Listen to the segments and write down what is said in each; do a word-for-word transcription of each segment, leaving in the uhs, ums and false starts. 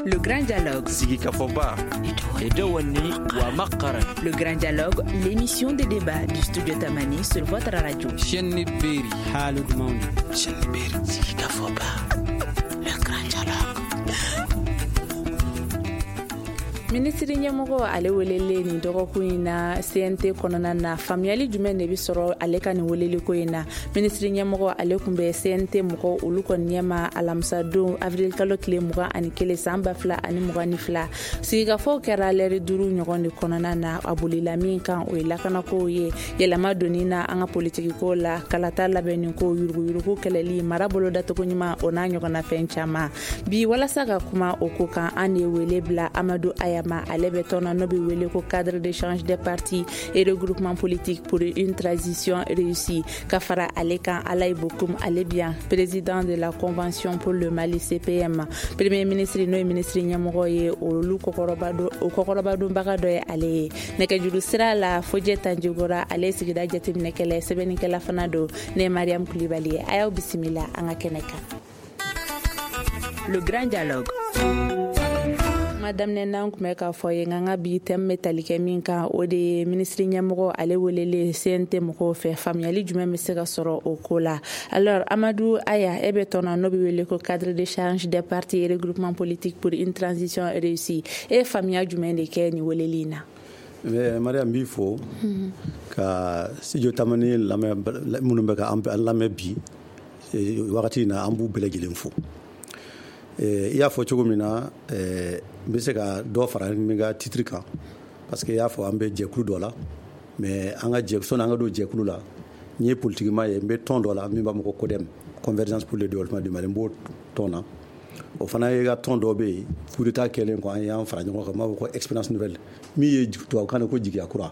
Le Grand Dialogue. Sigikafɔba wa. Le Grand Dialogue, l'émission de débat du studio Tamani sur votre radio. Chaîne Beri. Haalud Mawni. Chaîne Beri. Sigikafɔba. Le Grand Dialogue. Minisiri ɲɛmɔgɔ ale welelen nin dɔgɔkun in na C N T kɔnɔna na, faamuyali jumɛn de bɛ sɔrɔ ale ka nin weleliko in na? Minisiri ɲɛmɔgɔ ale tun bɛ C N T mɔgɔ olu kɔni ɲɛma alamisadon, avril kalo tile mugan ani kelen san ba fila ani mugan ni fila. Sigikafɔw kɛra lɛri duuru ɲɔgɔn de kɔnɔna na. A bolila min kan, o ye lakanakow ye, yɛlɛma donni na an ka politikiko la, kalata labɛnni ko, yuruguyurugu kɛlɛli, mara bolo dacogo ɲuman, o n'a ɲɔgɔnna fɛn caman. Bi, walasa ka kuma o ko kan, an de ye wele bila Amadu Aya ma. Ale bɛ tɔn na n'o bɛ wele ko Cadre d'échange des partis et regroupement politique pour une transition réussie. Ka fara ale kan, Alayi Bokum, ale bien président de la Convention pour le Mali, C P M. Premier ministre, n'o ye ministre ɲɛmɔgɔ ye, olu o kɔkɔrɔba donbaga dɔ ye ale ye. Nɛgɛjuru sira la, Fojɛ Tanjigora, ale sigida jateminɛkɛla, sɛbɛnnikɛla fana don. Ne ye Mariam Kulibali ye, a y'aw bisimila an ka kɛnɛ kan. Le Grand Dialogue. Kuma daminɛ n'an tun bɛ k'a fɔ ye, nka n ka bi thème bɛ tali kɛ min kan, o de ye minisiri ɲɛmɔgɔ ale welelen C N T mɔgɔw fɛ. Faamuyali jumɛn bɛ se ka sɔrɔ o ko la? Alors, Amadu Aya, e bɛ tɔn na n'o bɛ wele ko Cadre d'échange des partis et regroupement politique pour une transition réussie. E ye faamuya jumɛn de kɛ nin weleli in na? Mariam, n b'i fo ka studio Tamani lamɛn. Minnu bɛ ka an lamɛn bi wagati in na, an b'u bɛɛ lajɛlen fo. I y'a fɔ cogo min na, n bɛ se ka dɔ fara n ka titre kan, parce que i y'a fɔ an bɛ jɛkulu dɔ la, mais an ka jɛ, sɔnni an ka don jɛkulu la, n ye politikima ye. N bɛ tɔn dɔ la min b'a fɔ ko CODEM, Convergence pour le développement du Mali. N b'o tɔn na. O fana ye ka tɔn dɔ bɛ yen, coup d'état kɛlen kɔ, an y'an fara ɲɔgɔn kan, n b'a fɔ ko Expérience nouvelle, min ye tubabukan na ko jigiya kura.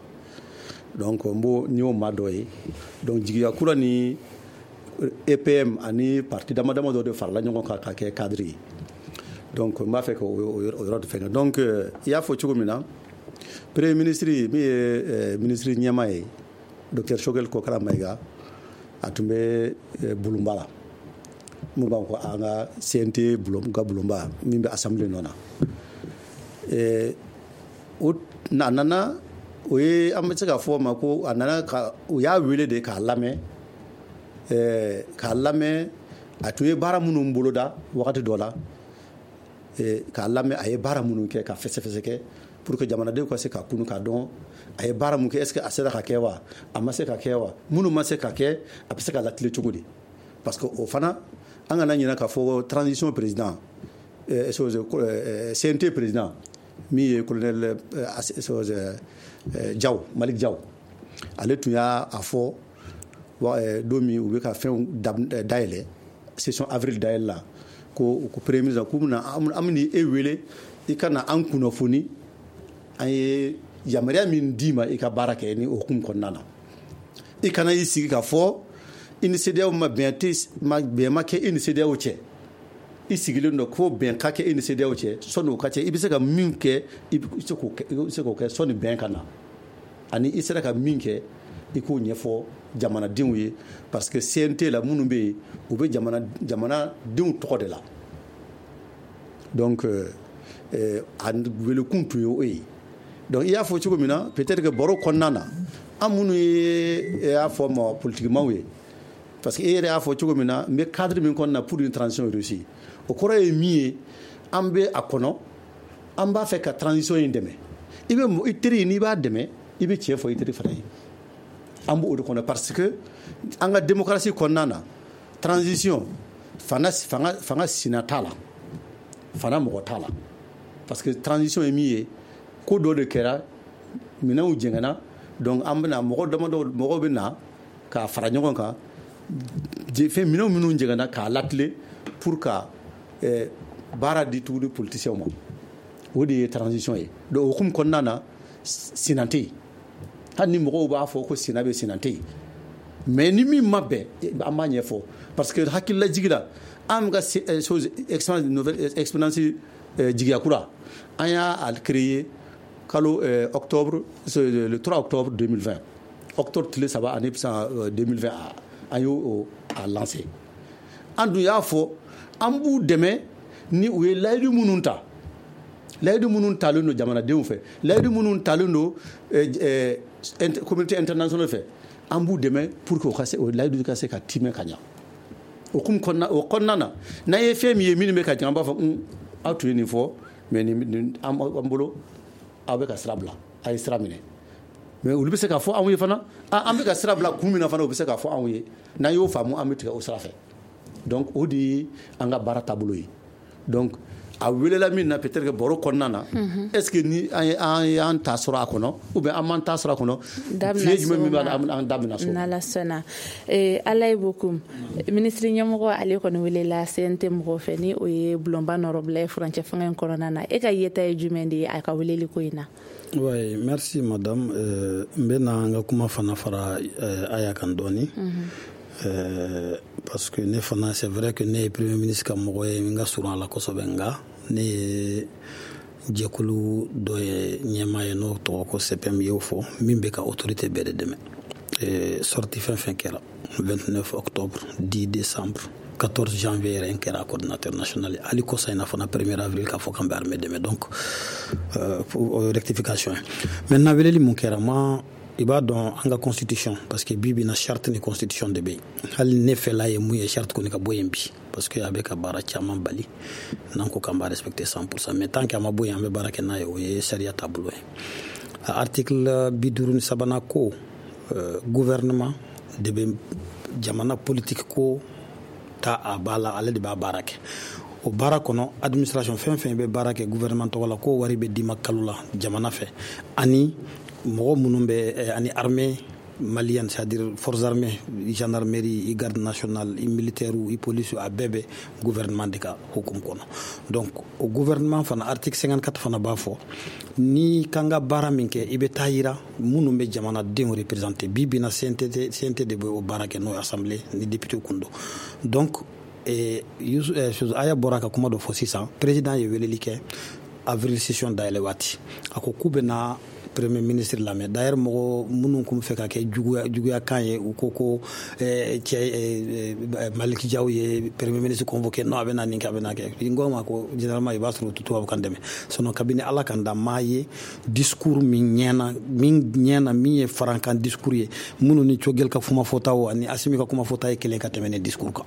Donc n b'o, n y'o maa dɔ ye. Donc jigiya kura ni E P M ani parti dama dama dɔ de farala ɲɔgɔn kan ka kɛ cadre ye. Donc n b'a fɛ ka o yɔrɔ de fɛngɛ. Donc i y'a fɔ cogo min na, premier ministre min ye ministre ɲɛmaa ye, docteur Choguel Kokala Maïga, a tun bɛ bulonba la, mun b'a ko an ka C N T bulon ka bulonba min bɛ assemblée nɔ na. O a nana, o ye, an bɛ se k'a fɔ o ma ko a nana ka, u y'a wele de k'a lamɛn k'a lamɛn a tun ye baara minnu boloda wagati dɔ la, k'a lamɛn a ye baara minnu kɛ, ka fɛsɛfɛsɛ kɛ pour que jamanadenw ka se ka kunu k'a dɔn a ye baara mun kɛ. Est ce que a sera ka kɛ wa, a ma se ka kɛ wa? Minnu ma se ka kɛ, a bɛ se ka latile cogo di? Parce que o fana, an kana ɲinɛ k'a fɔ transition président, C N T président min ye colonel Diaw, Malick Diaw, ale tun y'a fɔ don min u bɛ ka fɛnw dayɛlɛ, session avril dayɛlɛ la, ko ko premier ministre k'u bɛna, an bɛna e wele i ka na an kunnafoni, an ye yamaruya min d'i ma i ka baara kɛ ni o hukumu kɔnɔna na. I kana i sigi k'a fɔ i ni CEDEAO ma bɛn tɛ, ma bɛn ma kɛ i ni CEDEAO cɛ. I sigilen don ko bɛn ka kɛ i ni CEDEAO cɛ. Sɔnni o ka cɛ, i bɛ se ka min kɛ, i bɛ se k'o kɛ, i bɛ se k'o kɛ sɔnni bɛn ka na. Ani i sera ka min kɛ, i k'o ɲɛfɔ jamanadenw ye, parce que C N T la, minnu bɛ yen, u bɛ jamana jamanadenw tɔgɔ de la. Donc euh, a welekun tun ye o ye. Donc i y'a fɔ cogo min na, peut-être que baro kɔnɔna na, an minnu ye, y'a fɔ ma politikimaw ye, parce que e yɛrɛ y'a fɔ cogo min na, n bɛ cadre min kɔnɔna na pour une transition réussie, o kɔrɔ ye min ye, an bɛ a kɔnɔ, an b'a fɛ ka transition in dɛmɛ. I bɛ i teri, n'i b'a dɛmɛ, i bɛ tiɲɛ fɔ i teri fana ye. An b'o de kɔnɔ, parce que an ka démocratie kɔnɔna na, transition fanga fanga fanga sina t'a la, fana mɔgɔ t'a la, parce que transition ye min ye, ko dɔ de kɛra, minɛnw jɛngɛnna. Donc an bɛna mɔgɔ damadɔ, mɔgɔw bɛ na k'a fara ɲɔgɔn kan, fɛn minɛnw minnu jɛngɛnna, k'a latile pour ka eh, baara di tuguni politiciens ma. O de ye transition ye. Donc o hukumu kɔnɔna na, sinan tɛ yen. Hali ni mɔgɔw b'a fɔ ko sina bɛ, sinan tɛ yen. Mais ni min ma bɛn, an b'a ɲɛfɔ, parce que hakililajigi la, an ka chose, expérience nouvelle, expérience jigiya kura, an y'a créé kalo octobre, le trois octobre deux mille vingt, octobre tile saba ani san deux mille vingt, an y'o a lancé. An dun y'a fɔ an b'u dɛmɛ ni u ye layidu minnu ta. Layidu minnu talen don jamanadenw fɛ, layidu minnu talen don communauté internationale fɛ, an b'u dɛmɛ pour que o ka se o layidu ka se ka timɛ ka ɲa. O kun kɔnɔna o kɔnɔna na, n'an ye fɛn min ye minnu bɛ ka jigin, an b'a fɔ un aw tun ye nin fɔ, mais nin an bolo aw bɛ ka sira bila, a ye sira minɛ. Mais olu bɛ se k'a fɔ anw ye fana, an bɛ ka sira bila kun min na fana, u bɛ se k'a fɔ anw ye. N'an y'o faamu, an bɛ tigɛ o sira fɛ. Donc o de ye an ka baara taabolo ye. Donc a welela min na, peut-être que baro kɔnɔna na, est-ce que ni an y'an ta sɔrɔ a kɔnɔ ou bien an m'an ta sɔrɔ a kɔnɔ, fiɲɛ jumɛn min b'a la, an da bɛna so. N'Ala sɔnna. Ala ye beaucoup. Minisiri ɲɛmɔgɔ ale kɔni welela C N T mɔgɔw fɛ, ni o ye bulonba nɔrɔbila ye furancɛ fanga in kɔnɔna na. E ka yeta ye jumɛn de ye a ka weleli ko in na? Oui, merci madame. N bɛna n ka kuma fana fara Aya kan dɔɔni. Euh, parce que ne fana, c'est vrai que ne ye premier ministre ka mɔgɔ ye, n ka surun a la kosɛbɛ, nka ne ye jɛkulu dɔ ye ɲɛmaa ye n'o tɔgɔ ko C P M y'o fɔ, min bɛ ka autorité bɛɛ de dɛmɛ. Sortie fɛn fɛn kɛra vingt-neuf octobre, dix décembre, quatorze janvier yɛrɛ n kɛra coordinateur national ye, hali kɔsa in na fana premier avril k'a fɔ k'an bɛ armée dɛmɛ. Donc euh, rectification ye. Maintenant weleli mun kɛra, ma i b'a dɔn an ka constitution, parce que bi bi na charte ni constitution de bɛ yen. Hali ne fɛla ye mun ye, charte kɔni ka bɔ yen bi, parce que a bɛ ka baara caman bali n'an ko k'an b'a respecter cent pour cent, mais tant que a ma bɔ yen, an bɛ baara kɛ n'a ye, o ye sariya taabolo ye. Article bi duuru ni sabanan ko euh, gouvernement de bɛ jamana politique ko ta a ba la, ale de b'a baara kɛ. O baara kɔnɔ, administration fɛn fɛn bɛ baara kɛ gouvernement tɔgɔ la, k'o wari bɛ d'i ma kalo la jamana fɛ, ani mɔgɔ minnu bɛ ani armée malienne, c'est-à-dire forces armées, gendarmerie, i garde nationale, i militaire, i police, a bɛɛ bɛ gouvernement de ka hukumu kɔnɔ. Donc o gouvernement fana, article cinquante-quatre fana b'a fɔ ni kan ka baara min kɛ, i bɛ taa yira minnu bɛ jamanadenw représenter. Bi bi na C N T C N T de bɛ o baara kɛ, n'o ye assemblée ni député kun don. Donc eh, Aya bɔra ka kuma dɔ fɔ sisan, président ye weleli kɛ avril session dayɛlɛ waati, a ko k'u bɛ na premier ministre lamɛn. D'ailleurs mɔgɔ minnu kun fɛ ka kɛ juguya juguya kan ye, u ko ko cɛ Malick Diaw ye premier ministre convoqué, non a bɛ na nin kɛ, a bɛ na kɛ. N ko ma ko généralement i b'a sɔrɔ u tɛ tubabukan dɛmɛ, sinon kabini Ala kan da maa ye discours min ɲɛna min ɲɛna min ye farankan discours ye, minnu ni Choguel ka kuma fɔtaw ani Assimi ka kuma fɔta ye kelen ka tɛmɛ ne discours kan.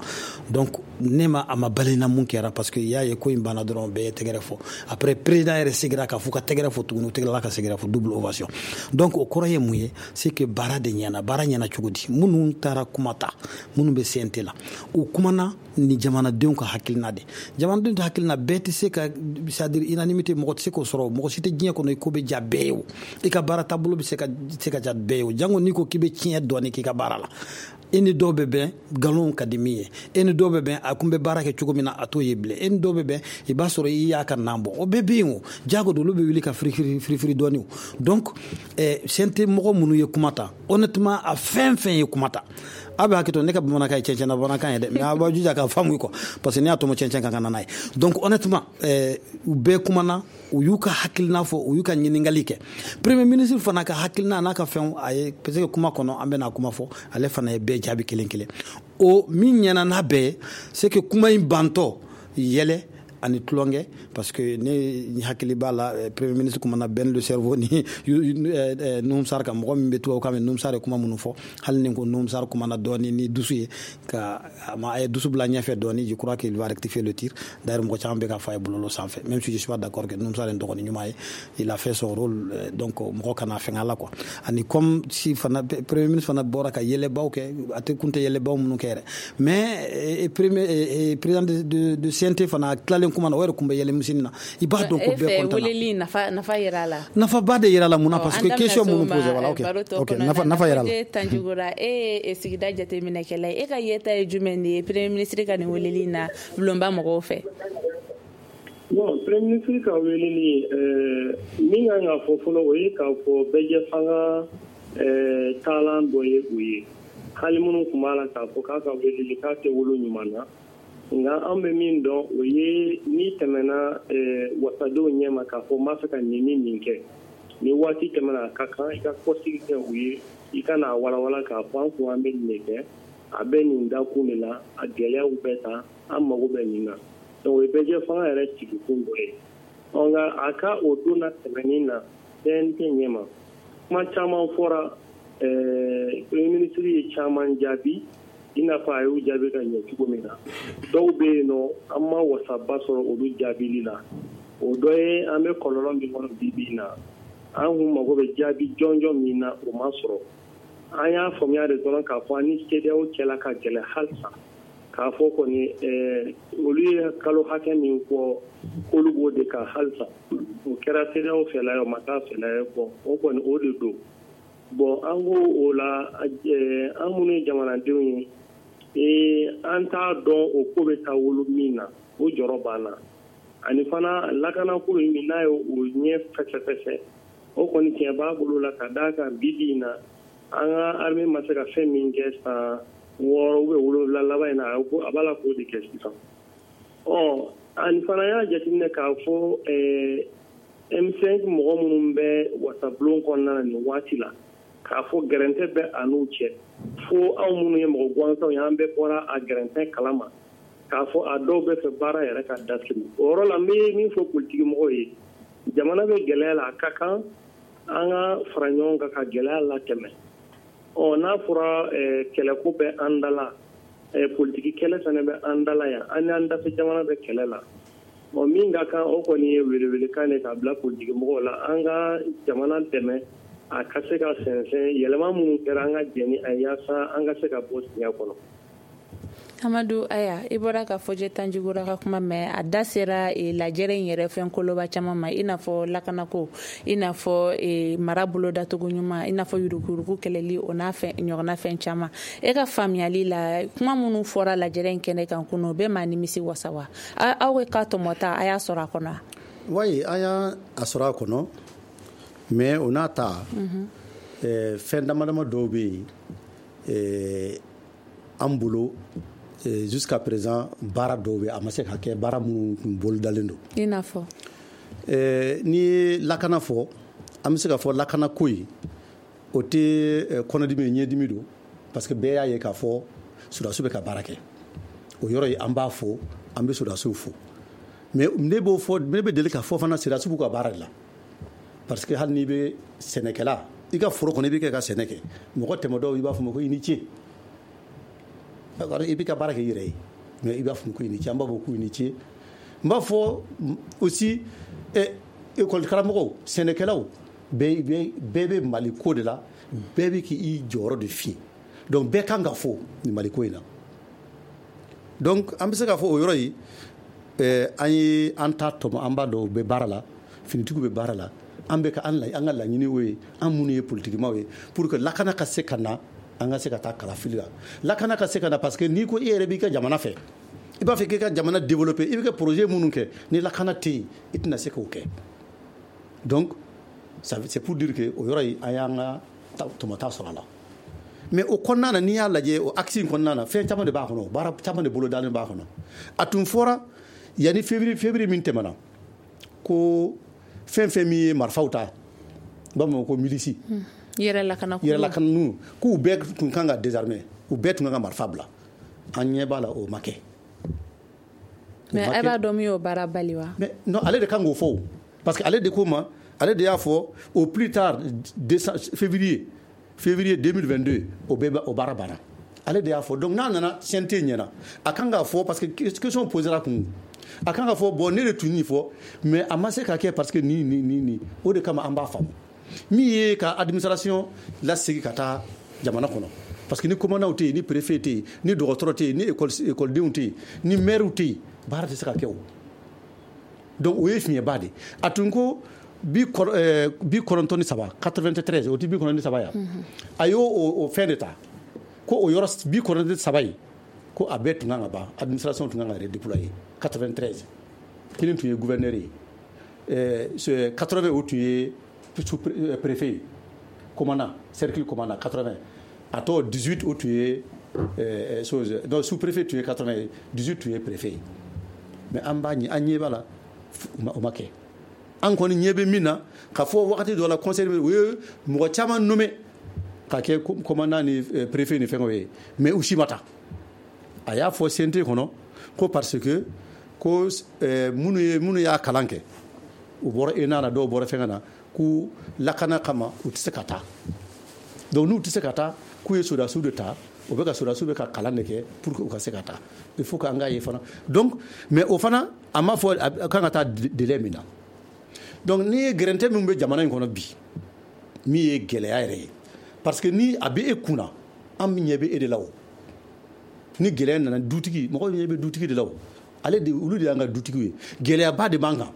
Donc ne ma a ma balina mun kɛra, parce que i y'a ye ko in banna dɔrɔn bɛɛ ye tɛgɛrɛ fɔ. Après président yɛrɛ seginna k'a fɔ ka tɛgɛrɛ fɔ tuguni, u tɛgɛla ka seginna fɔ double ovation. Donc o kɔrɔ ye mun ye, c'est que baara de ɲɛna. Baara ɲɛna cogo di? Minnu taara kuma ta, minnu bɛ C N T la, u kumana ni jamanadenw ka hakilina de. Jamanadenw ka hakilina bɛɛ tɛ se ka, c'est à dire unanimité, mɔgɔ tɛ se k'o sɔrɔ, mɔgɔ si tɛ diɲɛ kɔnɔ i ko bɛ ja bɛɛ ye, o i ka baara taabolo bɛ se ka se ka ja bɛɛ ye, o jango n'i ko k'i bɛ tiɲɛ dɔɔni k'i ka baara la. E ni dɔw bɛ bɛn nkalon ka di min ye, e ni dɔw bɛ bɛn a kun bɛ baara kɛ cogo min na a t'o ye bilen, e ni dɔw bɛ bɛn i b'a sɔrɔ i y'a ka nan bɔ, o bɛɛ bɛ yen. O jago don, olu bɛ wuli ka firifiri firifiri dɔɔni. Donc eh, C N T mɔgɔ minnu ye kuma ta, honnêtement a fɛn fɛn ye kuma ta, a bɛ hakɛ to ne ka bamanankan ye cɛncɛn na bamanankan ye dɛ, mais a b'a jija k'a faamu quoi, parce que ne y'a tɔmɔ cɛncɛn kan ka na n'a ye. Donc honnêtement eh, u bɛɛ kumana, u y'u ka hakilina fɔ, u y'u ka ɲininkali kɛ. Premier ministre fana ka hakilina n'a ka fɛnw a ye, parce que kuma kɔnɔ an bɛna kuma fɔ, ale fana ye bɛɛ jaabi kelen kelen. O min ɲɛna n'a bɛɛ ye, c'est que kuma in bantɔ yɛlɛ ani tulonkɛ, parce que ne hakili b'a la premier ministre kumana Ben le cerveau ni Nouhoum Sarr kan, mɔgɔ min bɛ tubabukan mɛn, Nouhoum Sarr ye kuma minnu fɔ, hali ni ko Nouhoum Sarr kumana dɔɔni ni dusu ye, ka a ye dusu bila ɲɛfɛ dɔɔni, je crois qu'il va rectifier le tir. D'ailleurs mɔgɔ caman bɛ ka fɔ a ye bɔlɔlɔ sanfɛ, même si je suis pas d'accord que Nouhoum Sarr ye dɔgɔnin ɲuman ye, il a fait son rôle, donc mɔgɔ kana fɛngɛ la quoi. Ani comme si fana premier ministre fana bɔra ka yɛlɛbaw kɛ, a tɛ kun tɛ yɛlɛbaw minnu kɛ yɛrɛ, mais premier président de, de, de C N T fana tilalen kuma na, o yɛrɛ kun bɛ yɛlɛ misɛnnin na, i b'a dɔn ko bɛɛ content na. Weleli nafa nafa yira la. Nafaba de yira la mun na, parce que question minnu posé, voilà, ok ok, nafa nafa yira la. Tanjugura, e ye sigida jateminɛkɛla ye, e ka yeta ye jumɛn de ye premier ministre ka nin weleli in na bulonba mɔgɔw fɛ? Bon, premier ministre ka weleli, euh, min kan ka fɔ fɔlɔ, o ye k'a fɔ bɛɛjɛ fanga euh, taalan dɔ ye o ye. Hali minnu tun b'a la k'a fɔ k'a ka weleli k'a tɛ wolo ɲuman na, nka an bɛ min dɔn o ye n'i tɛmɛna wasadenw ɲɛma k'a fɔ n b'a fɛ ka nin ni nin kɛ, ni waati tɛmɛna a ka kan i ka kɔsigi kɛ u ye, i ka n'a walawala k'a fɔ an kun an bɛ nin de kɛ, a bɛ nin dakun de la, a gɛlɛyaw bɛ ta, an mago bɛ nin na. Donc o ye bɛɛjɛ fanga yɛrɛ sigikun dɔ ye. Ɔ nka a ka o don na tɛmɛnin na C N T ɲɛma kuma caman fɔra, ɛɛ premier ministre ye caman jaabi i n'a fɔ a y'u jaabi ka ɲɛ cogo min na. Dɔw bɛ yen nɔ an ma wasaba sɔrɔ olu jaabili la. O dɔ ye an bɛ kɔlɔlɔ min kɔnɔ bi bi in na, an kun mago bɛ jaabi jɔnjɔn min na o ma sɔrɔ. An y'a faamuya de dɔrɔn k'a fɔ an ni CEDEAO cɛla ka gɛlɛn halisa, k'a fɔ kɔni ɛɛ olu ye kalo hakɛ min fɔ k'olu b'o de kan halisa. O kɛra CEDEAO fɛla ye o ma k'a fɛla ye, bon o kɔni o de don. Bon an ko o la an minnu ye jamanadenw ye, ee an t'a dɔn o ko bɛ taa wolo min na, o jɔrɔ b'an na. Ani fana lakanako in min n'a ye o ɲɛ fɛsɛfɛsɛ, o kɔni tiɲɛ b'a bolo la ka d'a kan bi bi in na an ka armée ma se ka fɛn min kɛ san wɔɔrɔ ou bien wolonwula laban in na, a b'a la k'o de kɛ sisan. Ɔ ani fana y'a jateminɛ k'a fɔ ɛɛ M cinq mɔgɔ minnu bɛ wasabulon kɔnɔna na nin waati la, k'a fɔ gɛrɛntɛ bɛ a n'u cɛ, fo anw minnu ye mɔgɔ gansanw ye an bɛɛ bɔra a gɛrɛntɛ kalama, k'a fɔ a dɔw bɛ fɛ baara yɛrɛ ka dasiri. O yɔrɔ la n bɛ min fɔ politiki mɔgɔw ye, jamana bɛ gɛlɛya la, a ka kan an ka fara ɲɔgɔn kan ka gɛlɛya latɛmɛ. Ɔ n'a fɔra kɛlɛko bɛ an da la, politiki kɛlɛ fana bɛ an da la yan, an n'an dafɛ jamana bɛ kɛlɛ la. Ɔ min ka kan o kɔni ye welewelekan de k'a bila politiki mɔgɔw la, an ka jamana dɛmɛ a ka se ka sɛnsɛn yɛlɛma minnu kɛra an ka jɛ ni a ye yaasa an ka se ka bɔ siɲɛ kɔnɔ. Amadu Aya, i bɔra ka fɔjɛ Tanjigora ka kuma mɛn, a da sera e, lajɛrɛ in yɛrɛ fɛn koloba caman ma, i n'a fɔ lakanako, i n'a fɔ e, mara bolodacogo ɲuman, i n'a fɔ yuruguyurugu kɛlɛli, o n'a fɛn ɲɔgɔnna fɛn caman. E ka faamuyali la, kuma minnu fɔra lajɛrɛ in kɛnɛ kan kunun, o bɛ maa nimisi wasa wa? Aw ka tɔmɔta a y'a sɔrɔ a kɔnɔ? Wayi, an y'a sɔrɔ a kɔnɔ, mais o n'a ta fɛn dama dama dɔw bɛ yen an bolo jusqu'à présent baara dɔw bɛ a ma se ka kɛ, baara minnu tun bolodalen don. I n'a fɔ? N'i ye lakana fɔ, an bɛ se ka fɔ lakana ko in o tɛ kɔnɔdimi ye, ɲɛdimi don, parce que bɛɛ y'a ye k'a fɔ sɔrɔdasiw bɛ ka baara kɛ. O yɔrɔ ye an b'a fɔ, an bɛ sɔrɔdasiw fo. Mais ne b'o fɔ, ne bɛ deli k'a fɔ fana sɔrɔdasiw b'u ka baara de la, parce que hali n'i bɛ sɛnɛkɛla, i ka foro kɔnɔ i bɛ kɛ ka sɛnɛ kɛ, mɔgɔ tɛmɛ dɔw i b'a fɔ ma ko i ni ce, i bɛ ka baara kɛ i yɛrɛ ye, mais i b'a fɔ ko i ni ce, an b'a fɔ ko i ni ce. N b'a fɔ aussi école karamɔgɔw, sɛnɛkɛlaw, bɛɛ bɛɛ bɛ Mali ko de la, bɛɛ bɛ k'i jɔyɔrɔ de fi, donc bɛɛ kan ka fɔ nin Mali ko in na. Donc an bɛ se k'a fɔ o yɔrɔ ye, an ye an ta tɔmɔ, an b'a dɔn u bɛ baara la, finitigiw bɛ baara la, an bɛ ka an ka laɲini o ye, an minnu ye politikimaw ye, pour que lakana ka se ka na, an ka se ka taa kalafili la. Lakana ka se ka na, parce que n'i ko e yɛrɛ b'i ka jamana fɛ, i b'a fɛ k'i ka jamana développer, i bɛ kɛ projet minnu kɛ, ni lakana tɛ yen, i tɛna se k'o kɛ. Donc c'est pour dire que o yɔrɔ ye an y'an ka tɔmɔta sɔrɔ a la. Mais o kɔnɔna na, n'i y'a lajɛ o axe in kɔnɔna na, fɛn caman de b'a kɔnɔ, baara caman de bolodalen b'a kɔnɔ. A tun fɔra yanni février février min tɛmɛna, ko fɛn fɛn min ye marifaw ta, u b'a fɔ ko milisi, yɛrɛ lakana yɛrɛ lakana k'u bɛɛ tun kan ka désarmer, u bɛɛ tun kan ka marifa bila. An ɲɛ b'a la o ma kɛ. Mais e b'a dɔn min y'o baara bali wa? Mais non, ale de kan k'o fɔ, parce que ale de ko ma, ale de y'a fɔ au plus tard février février deux mille vingt-deux o bɛɛ o baara banna. Ale de y'a fɔ. Donc n'a nana C N T ɲɛna, a kan k'a fɔ, parce que question posera kun, a kan k'a fɔ bon ne de tun nin fɔ, mais a ma se ka kɛ parce que ni ni ni ni o de kama an b'a faamu. Min ye ka administration lasegin ka taa jamana kɔnɔ, parce que ni commandant tɛ yen, ni préfet tɛ yen, ni dɔgɔtɔrɔ tɛ yen, ni école écoledenw tɛ yen, ni maire tɛ yen, baara tɛ se ka kɛ o. Donc o ye fiɲɛba de. A tun ko bi kɔnɔntɔn ni saba quatre-vingt-treize, o tɛ bi kɔnɔntɔn ni saba ya, a y'o o fɛn de ta ko o yɔrɔ bi kɔnɔntɔn ni saba ye, ko a bɛɛ tun kan ka ban, administration tun kan ka redéployer quatre-vingt-treize. Kelen tun ye gouverneur ye, ɛɛ quatre-vingts o tun ye préfet, commandant, cercle commandant quatre-vingts, a tɔ dix-huit o tun ye chose, donc sous-préfet tun ye quatre-vingts, dix-huit tun ye préfet. Mais an b'a ɲɛ, an ɲɛ b'a la, o ma kɛ. An kɔni ɲɛ bɛ min na, k'a fɔ wagati dɔ la conseil u ye mɔgɔ caman nommé ka kɛ commandant ni préfet ni fɛngɛw ye, mais u si ma taa. A y'a fɔ C N T kɔnɔ ko parce que ko minnu ye minnu y'a kalan kɛ, U bɔra E N A na, dɔw bɔra fɛngɛ na, k'u lakana kama u tɛ se ka taa. Donc n'u tɛ se ka taa, k'u ye sɔrɔdasiw de ta, u bɛ ka sɔrɔdasiw bɛ ka kalan de kɛ pour que u ka se ka taa. Il faut qu'an k'a ye fana. Donc mais o fana, a ma fɔ a kan ka taa délai min na. Donc n'i ye gɛrɛntɛ min bɛ jamana in kɔnɔ bi, min ye gɛlɛya yɛrɛ ye, parce que ni a bɛ e kunna, an ɲɛ bɛ e de la. O ni gɛlɛya nana, dutigi, mɔgɔw ɲɛ bɛ dutigi de la. O ale de, olu de y'an ka dutigiw ye. Gɛlɛyaba de b'an kan.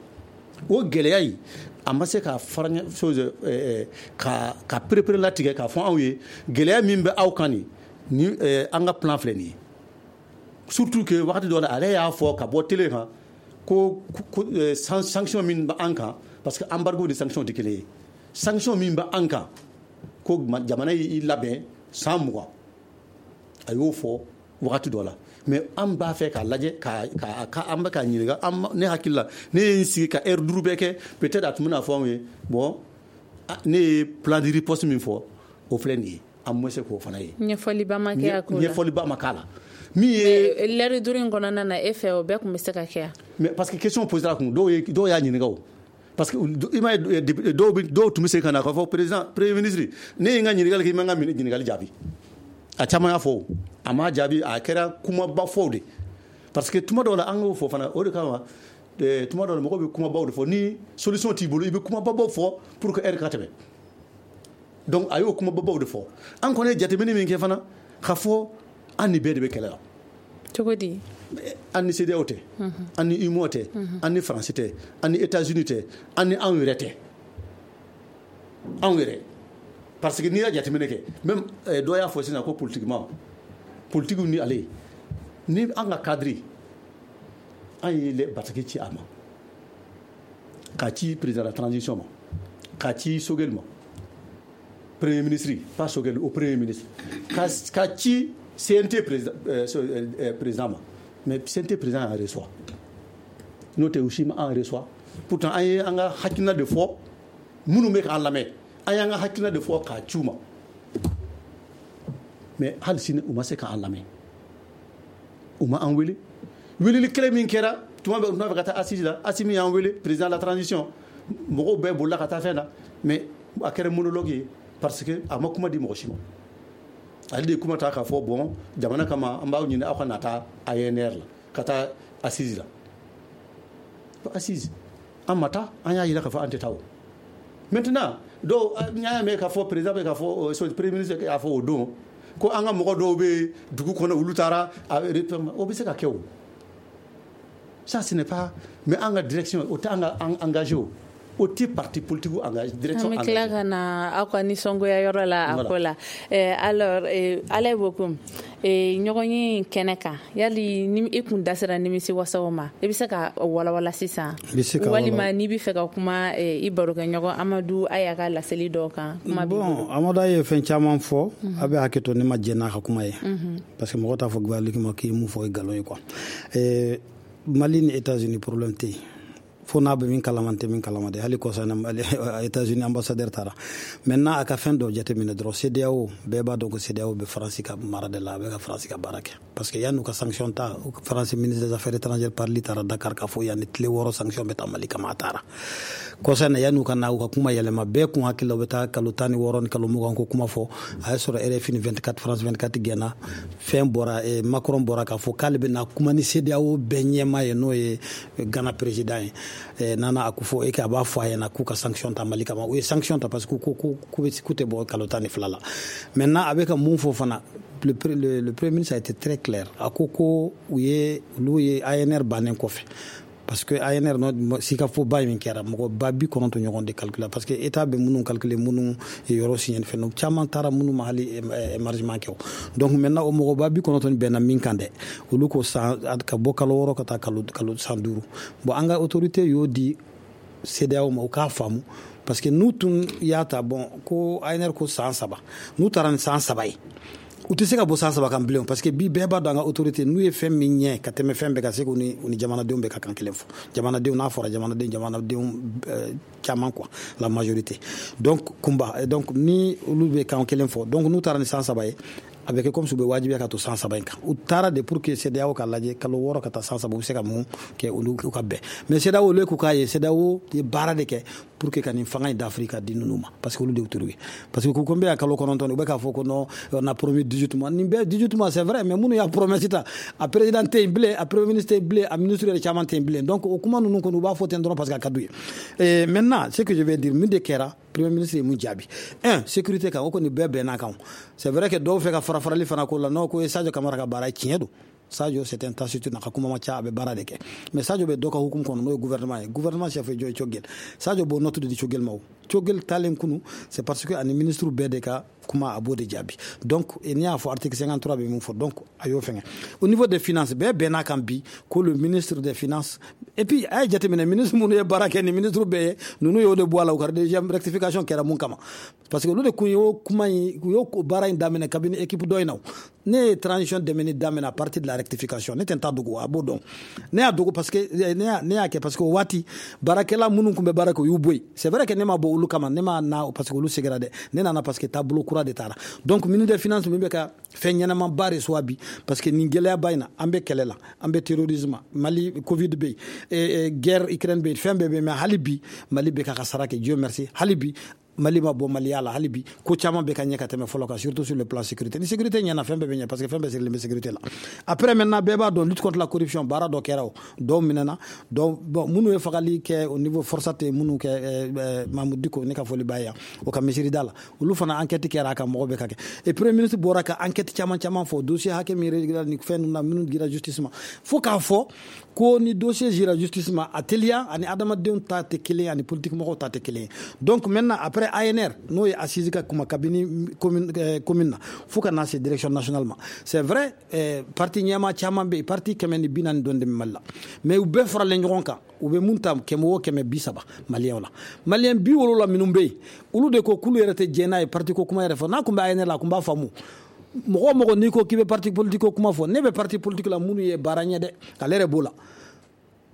O gɛlɛya in, a ma se ka fara chose ka ka perepere latigɛ k'a fɔ anw ye gɛlɛya min bɛ aw kan nin ni an ka plan filɛ nin ye. Surtout que wagati dɔ la, ale y'a fɔ ka bɔ télé kan ko sanction min bɛ an kan, parce que embargo ni sanction tɛ kelen ye, sanction min bɛ an kan, ko jamana y'i labɛn san mugan. A y'o fɔ wagati dɔ la. Mais an b'a fɛ k'a lajɛ ka ka an bɛ k'a ɲininka. Ne hakili la, ne ye n sigi ka heure duuru bɛɛ kɛ, peut-être a tun bɛna fɔ anw ye: bon, ne ye plan de riposte min fɔ, o filɛ nin ye. An ma se k'o fana ye. Ɲɛfɔliba ma kɛ a ko la. Ɲɛfɔliba ma k'a la. Min ye lɛri duuru in kɔnɔna na, e fɛ o bɛɛ tun bɛ se ka kɛ? Mais parce que question posera kun, dɔw ye, dɔw y'a ɲininka o, parce que i m'a ye, dɔw bɛ, dɔw tun bɛ se ka na k'a fɔ président, premier ministre, ne ye n ka ɲininkali kɛ, i ma n ka ɲininkali jaabi. A caman y'a fɔ, o a m'a jaabi. A kɛra kumaba fɔw de, parce que tuma dɔw la, an k'o fɔ fana, o de kama tuma dɔw la, mɔgɔw bɛ kumabaw de fɔ. Ni solution t'i bolo, i bɛ kumababaw fɔ pour que heure ka tɛmɛ. Donc a y'o kumababaw de fɔ. An kɔni ye jateminɛ min kɛ fana, k'a fɔ an ni bɛɛ de bɛ kɛlɛ la. Cogo di? An ni CEDEAO tɛ, an ni UEMOA tɛ, an ni Faransi tɛ, an ni États-Unis tɛ, an ni anw yɛrɛ tɛ, anw yɛrɛ. Parce que n'i y'a jateminɛ kɛ, même dɔ y'a fɔ sisan ko politiquement, politique ni ale ni an ka cadre, an ye bataki ci a ma, k'a ci président de la transition ma, k'a ci Choguel ma, premier ministre, pas Choguel, au premier ministre, k'a ci C N T président, euh, président ma. Mais C N T président an reçoit, n'o tɛ u si ma an reçoit. Pourtant an ye an ka hakilina de fɔ. Minnu bɛ k'an lamɛn, an y'an ka hakilina de fɔ k'a ci u ma, mais hali sini u ma se k'an lamɛn, u ma an wele. Weleli kelen min kɛra tuma bɛ, u tun b'a fɛ ka taa assise la, Assimi y'an wele, président de la transition, mɔgɔw bɛɛ bolila ka taa fɛn na, mais a kɛra monologue ye, parce que a ma kuma di mɔgɔ si ma. Ale de ye kuma ta k'a fɔ: bon, jamana kama, an b'aw ɲini aw ka na taa A N R la, ka taa assise la. Assise, an ma taa. An y'a yira k'a fɔ an tɛ taa. O maintenant, dɔw n y'a mɛn k'a fɔ président bɛ k'a fɔ, premier ministre y'a fɔ o don ko an ka mɔgɔ dɔw bɛ dugu kɔnɔ, olu taara. O bɛ se ka kɛ o, ça ce n'est pas, mais an ka direction, o tɛ an ka engagé, o o tɛ parti politique engagé, direction. An bɛ tila ka na aw ka nisɔngoya yɔrɔ la a ko la. Alors Alaye Bokum, ɲɔgɔn ye in kɛnɛ kan, yali ni i kun da sera nimisi wasaw ma, i bɛ se ka walawala sisan, walima n'i bɛ fɛ ka kuma i barokɛɲɔgɔn Amadu Aya ka laseli dɔw kan? Kuma. Bon, Amadu ye fɛn caman fɔ. A bɛ hakɛ to, ne ma jɛn n'a ka kuma ye, parce que mɔgɔ t'a fɔ gouvernement ma k'i ye mun fɔ, ye nkalon ye quoi. Mali ni États-Unis, problème tɛ yen, fo n'a bɛ min kalama, tɛ min kalama de. Hali kɔsa États-Unis ambassadeur taara. Maintenant, a ka fɛn dɔ jateminɛ dɔrɔn. CEDEAO, bɛɛ b'a dɔn ko CEDEAO bɛ Faransi ka mara de la, a bɛ ka Faransi ka baara kɛ, parce que yan'u ka sanction ta, Faransi ministre des affaires étrangères Parly taara Dakar k'a fɔ yanni tile wɔɔrɔ sanction bɛ ta Mali kama. A taara kɔsa na, yan'u ka na u ka kuma yɛlɛma, bɛɛ kun hakili la u bɛ taa kalo tan ni wɔɔrɔ ni kalo mugan ko kuma fɔ. A y'a sɔrɔ R F I ni vingt-quatre, France vingt-quatre gɛnna. Fɛn bɔra, Macron bɔra k'a fɔ k'ale bɛ na kuma ni CEDEAO bɛɛ ɲɛmaa ye, n'o ye Ghana président ye, Nana Akufo, e a b'a fɔ a ɲɛna k'u ka sanction ta Mali kama. U ye sanction ta parce que ko ko k'u tɛ bɔ kalo tan ni fila la. Maintenant, a bɛ ka mun fɔ fana, le, le, le premier ministre a été très clair. A ko ko u ye, olu ye A N R bannen kɔfɛ, parce que A N R no sikafoba min kɛra, mɔgɔ ba bi kɔnɔntɔn ɲɔgɔn de calculer, parce que état bɛ minnu calculer, minnu ye yɔrɔ signé fɛn caman taara, minnu ma hali émargement kɛ. Donc maintenant, o mɔgɔ ba bi kɔnɔntɔn bɛnna min kan dɛ, olu ko san ka bɔ kalo wɔɔrɔ ka taa kalo kalo san duuru. Bon, an ka autorité y'o di CEDEAO ma, u k'a faamu, parce que n'u tun y'a ta, bon, ko A N R ko san saba, n'u taara ni san saba ye, u tɛ se ka bɔ san saba kan bilen, parce que bi bɛɛ b'a dɔn an ka autorité n'u ye fɛn min ɲɛ ka tɛmɛ fɛn bɛɛ, ka se k'u ni u ni jamanadenw bɛɛ ka kan kelen fɔ. Jamanadenw, n'a fɔra jamanaden, jamanadenw caman quoi, la majorité. Donc kunba, donc ni olu bɛ kan kelen fɔ, donc n'u taara ni san saba ye. A bɛ kɛ comme si u bɛ wajibiya ka to san saba in kan. U taara de pour que CEDEAO ka lajɛ kalo wɔɔrɔ ka taa san saba, u bɛ se ka mun kɛ, olu ka bɛn. Mais CEDEAO, olu k'u k'a ye, CEDEAO ye baara de kɛ pour que ka nin fanga in d'Afrique ka di ninnu ma, parce que olu de y'u turu ye, parce que ko n bɛ yan kalo kɔnɔntɔn, u bɛ k'a fɔ ko non, on a promis dix-huit mois. Nin bɛɛ dix-huit mois, c'est vrai, mais minnu y'a promesse ta, a président tɛ yen bilen, a premier ministre tɛ yen bilen, a ministre yɛrɛ caman tɛ yen bilen. Donc o kuma ninnu kɔni, u b'a fɔ ten dɔrɔn parce que a ka d'u ye. Maintenant, ce que je vais dire, min de kɛra, premier ministre ye mun jaabi? Un, sécurité kan, o kɔni bɛɛ bɛnna kan. C'est vrai que dɔw fɛ ka fara farali fana ko la, n'o ko ye Sadio Kamara ka baara ye, tiɲɛ don. Sadio, c'est un taciturne, a ka kuma ma ca, a bɛ baara de kɛ. Mais Sadio bɛ dɔ ka hukumu kɔnɔ, n'o ye gouvernement ye. Gouvernement chef ye jɔn ye? Choguel. Sadio b'o note de di Choguel ma. O Choguel talen kunu, c'est parce que ani ministre bɛɛ de ka kuma, a b'o de jaabi. Donc n'i y'a fɔ, article cinquante-trois bɛ mun fɔ? Donc a y'o fɛngɛ. Au niveau des finances, bɛɛ bɛn'a kan bi ko le ministre des finances, et puis a ye jateminɛ, ministre minnu ye baara kɛ, ni ministre bɛɛ ye ninnu y'o de bɔ a la. U ka deuxième rectification kɛra mun kama? Parce que olu de kun y'o kuma in, u y'o baara in daminɛ kabini équipe dɔ in na. Ne ye transition dɛmɛni daminɛ à partir de la rectification. Ne tɛ n ta dogo, a b'o dɔn. Ne y'a dogo parce que ne y'a ne y'a kɛ parce que o waati, baarakɛla minnu tun bɛ baara kɛ, u y'u bɔ yen. C'est vrai que ne ma bɔ olu kama, ne ma na parce que olu seginna dɛ, ne nana parce que taabolo kura de taara. Donc ministre des finances min bɛ ka fɛn ɲɛnamaba de soit bi, parce que nin gɛlɛyaba in na, an bɛ kɛlɛ la, an bɛ terrorisme, Mali Covid bɛ yen, guerre Ukraine bɛ yen, fɛn bɛɛ bɛ yen, mais hali bi Mali bɛ k'a ka sara kɛ. Dieu merci, hali bi Mali ma bɔ Maliya la, hali bi ko caman bɛ ka ɲɛ ka tɛmɛ fɔlɔ kan, surtout sur le plan sécurité. Ni sécurité ɲɛna, fɛn bɛɛ bɛ ɲɛ, parce que fɛn bɛɛ sirilen bɛ sécurité la. Après maintenant, bɛɛ b'a dɔn, lutte contre la corruption, baara dɔ kɛra, o dɔw minɛna, dɔw, bon, minnu ye fagali kɛ au niveau FORSAT, minnu kɛ Mahmoud Dicko, ne ka foli b'a ye yan, o ka misiri da la, olu fana enquête kɛra a kan, mɔgɔ bɛ ka kɛ. Et premier ministre bɔra ka enquête caman caman fɔ, dossier hakɛ min réglé ni fɛn ninnu na, minnu dira justice ma, fo k'a fɔ ko ni dossier dira justice ma, a teliya ani adamadenw ta tɛ kelen ye, ani politique mɔgɔw ta tɛ kelen ye. Donc maintenant, après A N R, n'o ye assise ka kuma kabini commune commune na fo ka na se direction nationale ma, c'est vrai, eh, parti ɲɛma caman bɛ yen, parti kɛmɛ ni bi naani dɔɔni de bɛ Mali la, mais u bɛɛ faralen ɲɔgɔn kan, u bɛ mun ta? Kɛmɛ o kɛmɛ bi saba maliyɛnw la, maliyɛn bi wolonwula minnu bɛ yen, olu de ko k'olu yɛrɛ tɛ jɛn n'a ye parti ko kuma yɛrɛ fɔ. N'a tun bɛ A N R la, a tun b'a faamu. Mɔgɔ o mɔgɔ n'i ko k'i bɛ parti politique ko kuma fɔ, ne bɛ parti politique la, minnu ye baara ɲɛ dɛ, ale yɛrɛ b'o la.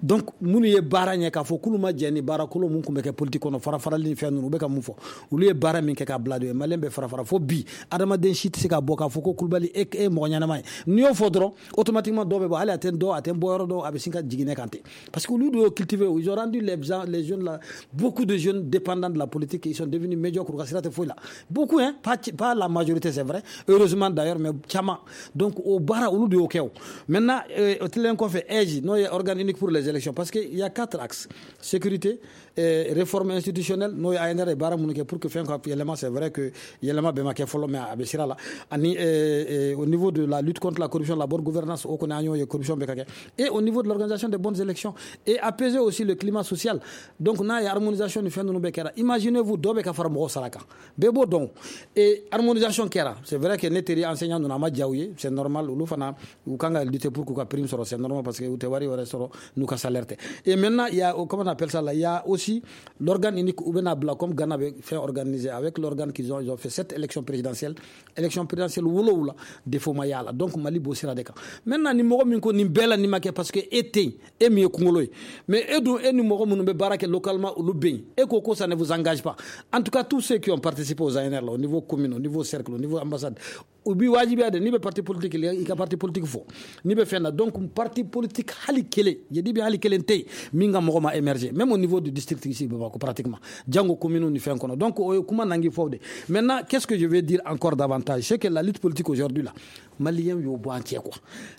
Donc minnu ye baara ɲɛ, k'a fɔ k'olu ma jɛ ni baara kolon mun tun bɛ kɛ politique kɔnɔ, fara farali ni fɛn ninnu, u bɛ ka mun fɔ, olu ye baara min kɛ k'a bila de, maliyɛn bɛ fara fara fo bi, adamaden si tɛ se ka bɔ k'a fɔ ko Kulubali e e mɔgɔ ɲɛnama ye. N'i y'o fɔ dɔrɔn, automatiquement dɔw bɛ bɔ, hali a tɛ dɔw, a tɛ bɔ yɔrɔ dɔw, a bɛ sin ka jigin ne kan ten, parce que olu de y'o cultivé. Ils ont rendu les les jeunes là, beaucoup de jeunes dépendants de la politique, ils sont devenus médiocres, u ka sira tɛ foyi la. Beaucoup hein, pas pas la majorité, c'est vrai, heureusement d'ailleurs, mais caman. Donc o baara, olu de y'o kɛ. O maintenant, o tilalen kɔfɛ, A I J, n'o ye organe unique pour les élections, parce que il y a quatre axes: sécurité, eh, réforme institutionnelle, n'o ye A N R ye baara minnu kɛ pour que fɛn ka yɛlɛma. C'est vrai que yɛlɛma bɛɛ ma kɛ fɔlɔ, mais a bɛ sira la. Ani eh, eh, au niveau de la lutte contre la corruption, la bonne gouvernance, o kɔni an y'o ye, corruption bɛ ka kɛ, et au niveau de l'organisation des bonnes élections et apaiser aussi le climat social. Donc n'a ye harmonisation ni fɛn ninnu bɛɛ kɛra, imaginez-vous, dɔ bɛ ka fara mɔgɔw sara kan, bɛɛ b'o dɔn. Et harmonisation kɛra, c'est vrai que ne teri enseignant ninnu, a ma diya u ye, c'est normal, olu fana u kan ka lutter pour k'u ka prime sɔrɔ, c'est normal, parce que u tɛ wari wɛrɛ sɔrɔ n'u ka salaire tɛ. Et maintenant, il y a, comment on appelle ça là, il y a aussi l'organe unique u bɛna bila, comme Ghana bɛ fɛn organiser avec l'organe qu'ils ont, ils ont fait sept élections présidentielles, élection présidentielle wolowula, défaut ma y'a la. Donc Mali b'o sira de kan. Maintenant, ni mɔgɔ min ko nin bɛɛ la nin ma kɛ, parce que e tɛ yen, e min ye kunkolo ye, mais e dun, e ni mɔgɔ minnu bɛ baara kɛ localement, olu bɛ yen, e ko ko ça ne vous engage pas. En tout cas, tous ceux qui ont participé aux A N R là, au niveau commune, au niveau cercle, au niveau ambassade, u b'i wajibiya de, n'i bɛ parti politique, i ka parti politique fɔ, n'i bɛ fɛn na. Donc parti politique hali kelen, je dis bien hali kelen tɛ yen min ka mɔgɔ ma émerger, même au niveau du district ici Bamako, pratiquement, jango commune ni fɛn kɔnɔ. Donc o ye kuma nangi fɔ de. Maintenant, qu'est-ce que je vais dire encore davantage? C'est que la lutte politique aujourd'hui là, maliyɛn y'o bɔ an cɛ quoi.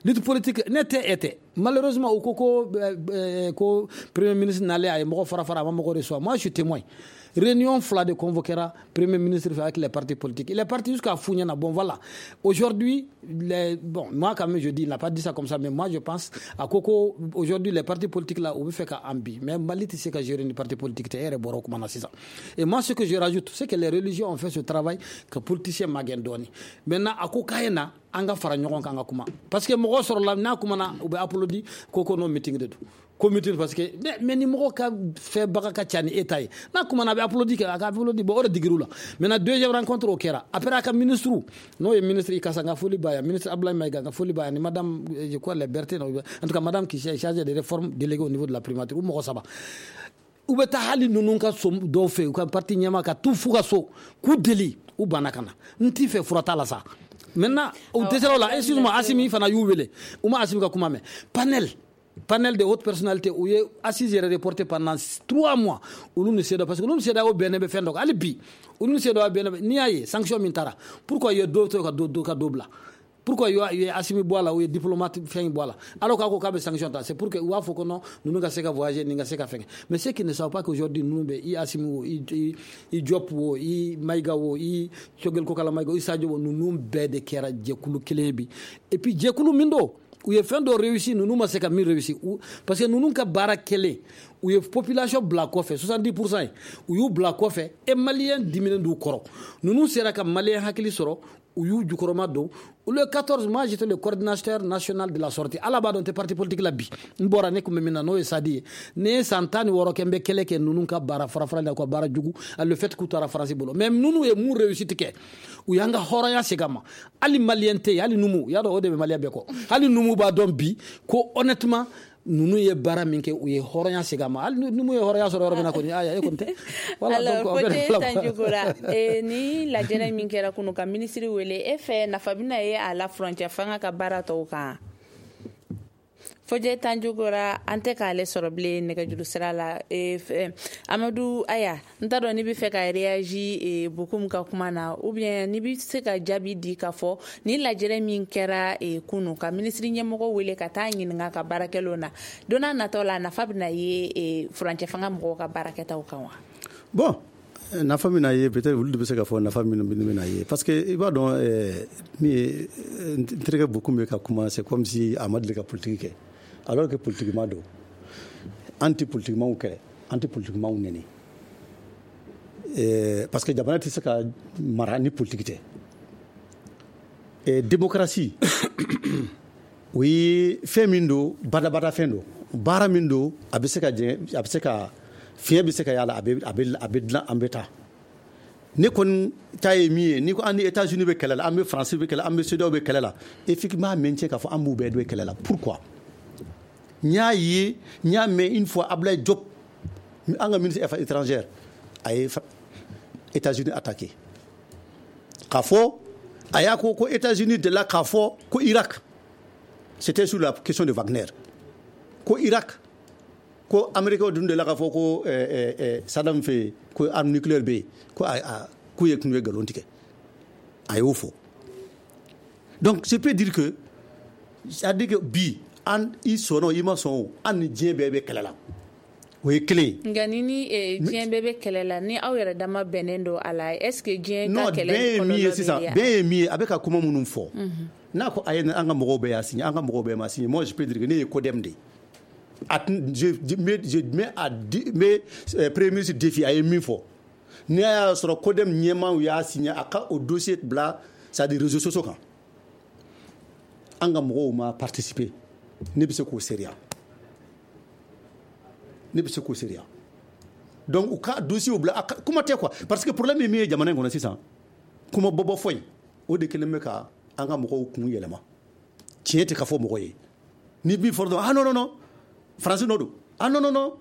Lutte politique, ne tɛ e tɛ, malheureusement, u ko ko ko premier ministre nalen, a ye mɔgɔ fara fara, a ma mɔgɔ reçoit. Moi, je suis témoin, réunion fila de convoquera premier ministre avec les partis politiques. Il est parti jusqu'à Fougnana. Bon, voilà. Aujourd'hui, les, bon, moi quand même je dis, il n'a pas dit ça comme ça, mais moi je pense à Coco, aujourd'hui les partis politiques là, on veut faire qu'à Ambi. Mais Mali, tu sais qu'à gérer une parti politique, et moi ce que je rajoute, c'est que les religieux ont fait ce travail que politiciens magɛn dɔɔni. Maintenant, a ko k'a na an ka fara ɲɔgɔn kan ka kuma, parce que mɔgɔ sɔrɔla n'a kumana, u bɛ applaudi ko ko non, meeting de don ko meeting, parce que mais ni mɔgɔ ka fɛnbaga ka ca ni e ta ye, n'a kumana, a bɛ applaudi kɛ, a ka applaudi. Bon, o de digir'u la. Maintenant, deuxième rencontre o kɛra après, a ka ministre, n'o ye ministre Ikasa, n ka foli b'a ye, ministre Abdoulaye Maïga, n ka foli b'a ye, ni madame, je crois les Berthe, en tout cas madame qui est chargée des réformes déléguées au niveau de la primature, u mɔgɔ saba, u bɛ taa hali ninnu ka so dɔw fɛ, u ka parti ɲɛma ka t'u f'u ka so k'u deli, u banna ka na. N t'i fɛ, fura t'a la sa. Maintenant u dɛsɛra o la. Excuse-moi, Assimi fana y'u wele, u ma Assimi ka kuma mɛn. Panel panel de haute personnalité, u ye assise yɛrɛ reporté pendant trois mois, olu ni CEDEAO, parce que olu ni CEDEAO bɛnnen bɛ fɛn dɔ kan. Hali bi olu ni CEDEAO bɛnnen bɛ. N'i y'a ye sanction min taara, pourquoi u ye dɔ to ka dɔ ka dɔ bila? Pourquoi u ye Assimi bɔ a la, u ye diplomate fɛn bɔ a la, alors k'a ko k'a bɛ sanction ta? C'est pour que u b'a fɔ ko non, ninnu ka se ka voyager, nin ka se ka fɛn. Mais ceux qui ne savent pas qu'aujourd'hui ninnu bɛ i Assimi o, i i Diop o, i Maïga o, i Choguel Kokalla Maïga o, i Sadio o, ninnu bɛɛ de kɛra jɛkulu kelen ye bi. Et puis jɛkulu min don, u ye fɛn dɔ réussi, ninnu ma se ka min réussi, parce que ninnu ka baara kɛlen, u ye population bila kɔfɛ, soixante-dix pour cent ye, u y'u bila kɔfɛ e malien diminen d'u kɔrɔ. Ninnu sera ka malien hakili sɔrɔ, u y'u jukɔrɔma don. Le quatorze, moi j'étais le coordinateur national de la sortie. Ala b'a dɔn, tɛ parti politique la bi. N bɔra, ne kun bɛ min na, n'o ye Sadi ye. Ne ye san tan ni wɔɔrɔ kɛ, n bɛ kɛlɛ kɛ ninnu ka baara fara-fara la, u ka baara jugu, le fait k'u taara Faransi bolo. Mais ninnu ye mun réussite kɛ? U y'an ka hɔrɔnya segin a ma. Hali malien tɛ yen, hali numu y'a dɔn, o de bɛ malien bɛɛ kɔ, hali numu b'a dɔn bi ko honnêtement ninnu ye baara min kɛ, u ye hɔrɔnya segin a ma. Hali numu ye hɔrɔnya sɔrɔ yɔrɔ min na kɔni, aya e kɔni tɛ. Voilà. Alors Fote Sanjugora, ni lajɛrɛ min kɛra kunu ka minisiri wele, e fɛ nafa bɛna ye a la furancɛ fanga ka baara tɔw kan? Fojɛ Tanjugora, an tɛ k'ale sɔrɔ bilen nɛgɛjuru sira la. Amadu Aya, n t'a dɔn n'i bɛ fɛ ka réagir Bokum ka kuma na, ou bien n'i bɛ se ka jaabi di k'a fɔ ni lajɛrɛ min kɛra kunu ka minisiri ɲɛmɔgɔ wele ka taa ɲininka ka baarakɛlaw na, don n'a nataw la, nafa bɛna ye furancɛ fanga mɔgɔw ka baarakɛtaw kan wa? Bon, nafa min na ye, peut-être olu de bɛ se ka fɔ nafa min bɛna ye, parce que i b'a dɔn, min ye n terikɛ Bokum bɛ ka kuma, c'est comme si a ma deli ka politique kɛ, alors que politiquement don. An tɛ politiquement kɛlɛ, an tɛ politiquement nɛni, parce que jamana tɛ se ka mara ni politique tɛ. Démocratie, o ye fɛn min don, badabada fɛn don, baara min don, a bɛ se ka jɛ, a bɛ se ka fiɲɛ bɛ se ka y'a la, a bɛ a bɛ a bɛ dilan, an bɛ taa. Ne kɔni ta ye min ye, n'i ko an ni États-Unis bɛ kɛlɛ la, an bɛ France bɛ kɛlɛ, an bɛ CEDEAO bɛ kɛlɛ la, effectivement maintien k'a fɔ an b'u bɛɛ bɛ kɛlɛ la. Pourquoi? N y'a ye, n y'a mɛn une fois, Ablaye Diop, an ka ministre des affaires étrangères, a ye États-Unis attaqué k'a fɔ, a y'a ko ko États-Unis delila k'a fɔ ko Irak, c'était sur la question de Wagner, ko Irak, ko Américains dun delila k'a fɔ ko Saddam fɛ yen ko arme nucléaire bɛ yen, ko a k'u ye tun ye nkalon tigɛ. A y'o fɔ. Donc je peux dire que, c'est à dire que bi, an i sɔnna o, i ma sɔn o, an ni diɲɛ bɛɛ bɛ kɛlɛ la, o ye kelen ye. Nka ni ni diɲɛ bɛɛ bɛ kɛlɛ la, ni aw yɛrɛ dama bɛnnen don a la, est ce que diɲɛ ka kɛlɛ? Non, bɛn ye min ye sisan, bɛn ye min ye, a bɛ ka kuma minnu fɔ, n'a ko a ye an ka mɔgɔw bɛɛ y'a signé, an ka mɔgɔw bɛɛ ma signé, moi je peux dire que ne ye CODEM de ye. A je mets je mets à mets premier ministre défi, a ye min fɔ, n'i y'a sɔrɔ CODEM ɲɛmaaw y'a signé, a ka o dossier bila, c'est à dire réseaux sociaux kan, an ka mɔgɔw ma participer, ne bɛ se k'o seereya, ne bɛ se k'o seereya. Donc u ka dossier bila a kuma tɛ quoi, parce que problème ye min ye jamana in kɔnɔ sisan, kuma bɔbɔ fɔ in, o de kɛlen bɛ ka an ka mɔgɔw kun yɛlɛma. Tiɲɛ tɛ ka fɔ mɔgɔ ye. Ni min fɔra dɔrɔn, ah non non non, Faransi nɔ don, ah non non non,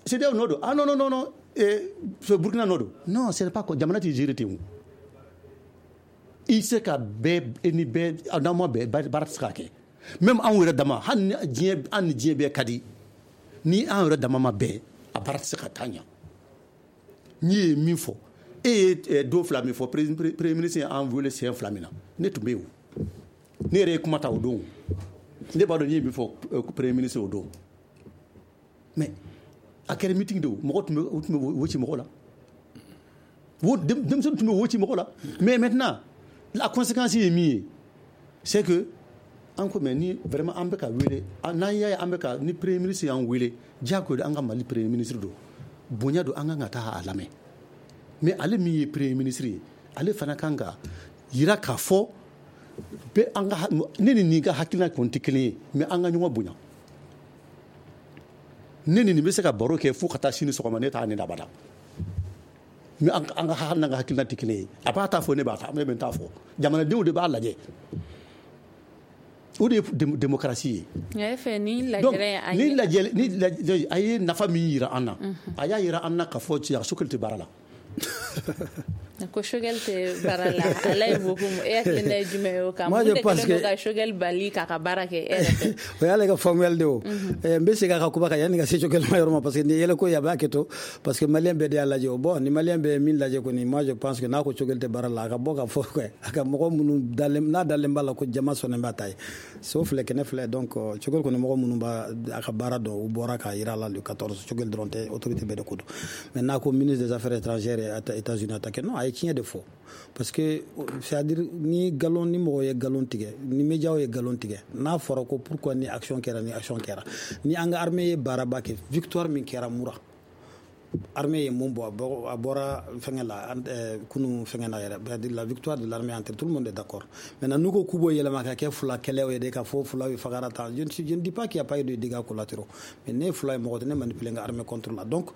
CEDEAO nɔ don, ah non non non non, eh, Burkina nɔ don. Non, c'est pas, jamana tɛ gérer ten o. I se ka bɛɛ, e ni bɛɛ, n'aw ma bɛn, baara tɛ se ka kɛ. Même anw yɛrɛ dama, hali ni diɲɛ, an ni diɲɛ bɛɛ ka di, ni an yɛrɛ dama ma bɛn, a baara tɛ se ka taa ɲɛ. N'i ye min fɔ, e ye don fila min fɔ, premier ministre ye an wele siɲɛ fila min na, ne tun bɛ yen o. Ne yɛrɛ ye kuma ta o don, ne b'a dɔn n ye min fɔ premier ministre o don. Mais a kɛra meeting de o, mɔgɔ tun bɛ, u tun bɛ wo ci mɔgɔ la, wo denmisɛnnin tun bɛ wo ci mɔgɔ la. Mais maintenant la conséquence ye min ye, c'est que an ko, mais ni vraiment an bɛ ka wele, n'an y'a ye an bɛ ka ni premier ministre y'an wele, diyagoya an ka Mali premier ministre don, bonya don, an kan ka taa a lamɛn. Mais ale min ye premier ministre ye, ale fana kan ka yira k'a fɔ bɛɛ an ka, ne ni nin ka hakilina kɔni tɛ kelen ye, mais an ka ɲɔgɔn bonya. Ne ni nin bɛ se ka baro kɛ fo ka taa sini sɔgɔma, ne t'a ne abada, mais an ka hali n'an ka hakilina tɛ kelen ye, a b'a ta fɔ, ne b'a ta, ne bɛ n ta fɔ, jamanadenw de b'a lajɛ. O de ye démocratie ye. Nka e fɛ ni lajɛrɛ ni lajɛ ni lajɛ, a ye nafa min yira an na, a y'a yira an na k'a fɔ cɛ Choguel tɛ baara la. Ko Choguel tɛ baara la, ala ye beaucoup e hakilina ye jumɛn ye o kan? Mun de kɛlen don ka Choguel bali k'a ka baara kɛ e yɛrɛ fɛ? O y'ale ka faamuyali de o. N bɛ segin a ka kuma kan yanni ka se Choguel ma yɔrɔ ma, parce que nin ye yɛlɛko ye, a b'a kɛ to, parce que malien bɛɛ de y'a lajɛ o. Bon, ni malien bɛɛ ye min lajɛ kɔni, moi je pense que n'a ko Choguel tɛ baara la, a ka bɔ ka fɔ quoi, a ka mɔgɔ minnu dalen n'a dalen b'a la ko jama sɔnnen b'a ta ye, so filɛ kɛnɛ filɛ. Donc Choguel kɔni, mɔgɔ minnu b'a a ka baara dɔn, u bɔra k'a yira la le quatorze. Choguel dɔrɔn tɛ, autorité bɛɛ de ko don. Mais n'a ko ministre des Affaires étrangères ye États-Unis attaqué, non, a ye tiɲɛ de fɔ, parce que c'est à dire ni galon ni mɔgɔ ye galon tigɛ, ni médiaw ye galon tigɛ, n'a fɔra ko pourquoi ni action kɛra, ni action kɛra, ni an ka armée ye baaraba kɛ, victoire min kɛra Mura, armée ye mun bɔ, a bɔra fɛngɛ la kunu fɛngɛ na yɛrɛ, la victoire de l'armée, entre tout le monde est d'accord. Maintenant n'u ko k'u b'o yɛlɛma ka kɛ fila kɛlɛw ye de, ka fɔ fila ye fagara tan, je ne je ne dis pas qu'il y a pas eu de dégâts collatéraux, mais ne ye fila ye, mɔgɔ tɛ ne manipuler n ka armée contre la. Donc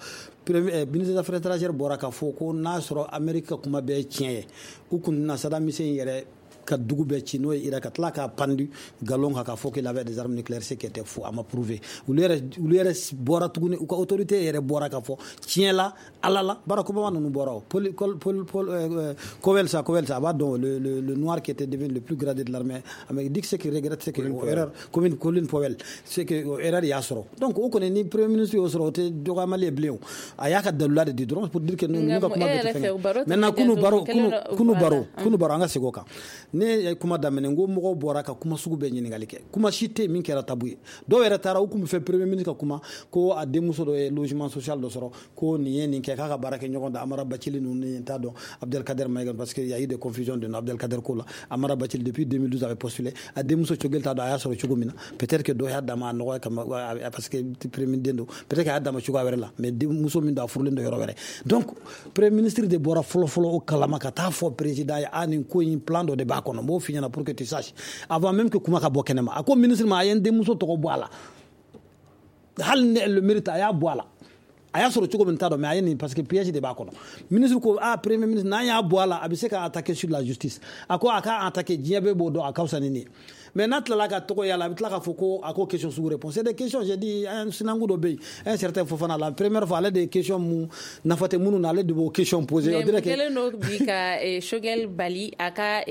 ministre des Affaires étrangères bɔra ka fɔ ko n'a sɔrɔ Amérique ka kuma bɛɛ ye tiɲɛ ye, u kun na Saddam Hussein yɛrɛ ka dugu bɛɛ ci, n'o ye Irak, ka tila k'a pendu galon kan k'a fɔ qu'il avait des armes nucléaires, ce qui était faux, a ma prouvé. Olu yɛrɛ olu yɛrɛ bɔra tuguni, u ka autorité yɛrɛ bɔra ka fɔ tiɲɛ la Ala la, Barack Obama ninnu bɔra o, Paul Paul Paul Powell, sa Powell, sa a b'a dɔn, le le le noir qui était devenu le plus gradé de l'armée américaine, dit que ce qu'il regrette, c'est que erreur, Colin Colin Powell, c'est que erreur y'a sɔrɔ. Donc o kɔni, ni premier ministre y'o sɔrɔ, o tɛ dɔgɔyamali ye bilen o, a y'a ka dalula de di dɔrɔn pour dire que ninnu ka kuma bɛɛ tɛ fɛn ye. Maintenant kunu baro kunu kunu baro kunu baro an ka segin o kan. Ne ye kuma daminɛ n ko mɔgɔw bɔra ka kuma sugu bɛɛ ɲininkali kɛ, kuma si tɛ min kɛra tabu ye. Dɔw yɛrɛ taara u kun bɛ fɛ premier ministre ka kuma ko a denmuso dɔ ye logement social dɔ sɔrɔ, ko nin ye nin kɛ, k'a ka baara kɛ ɲɔgɔn da Amara Bacili ninnu ni n t'a dɔn Abdelkader Maïga, parce que y a eu des confusions de Abdelkader ko la. Amara Bacili depuis deux mille douze avait postulé, a denmuso Choguel t'a dɔn a y'a sɔrɔ cogo min na, peut-être que dɔ y'a d'a ma a nɔgɔya kama, parce que premier ministre den don, peut-être que a y'a d'a ma cogoya wɛrɛ la, mais denmuso min don a furulen don yɔrɔ wɛrɛ. Donc premier ministre de bɔra fɔlɔ fɔlɔ o kalama ka taa fɔ président ye, a nin ko in plan dɔ de b'a kɔnɔ, n b'o f'i ɲɛna pour que tu saches avant même que kuma ka bɔ kɛnɛma. A ko ministre ma a ye n denmuso tɔgɔ bɔ a la, hali ni elle le mérite, a y'a bɔ a la, a y'a sɔrɔ cogo min t'a dɔn, mais a ye nin parce que piège de b'a kɔnɔ. Ministre ko ah premier ministre, n'an y'a bɔ a la, a bɛ se ka attaquer sur la justice. A ko a ka attaquer, diɲɛ bɛɛ b'o dɔn, a ka fisa ni nin ye. Mais n'a tilala ka tɔgɔ y'a la, a bɛ tila k'a fɔ ko a ko question sugu répond, c'est des questions. J'ai dit un sinanku dɔ bɛ yen, un certain Fofana, la première fois ale de ye question mun nafa tɛ minnu na, ale de b'o question poser. Mais mun kɛlen don bi ka Choguel bali a ka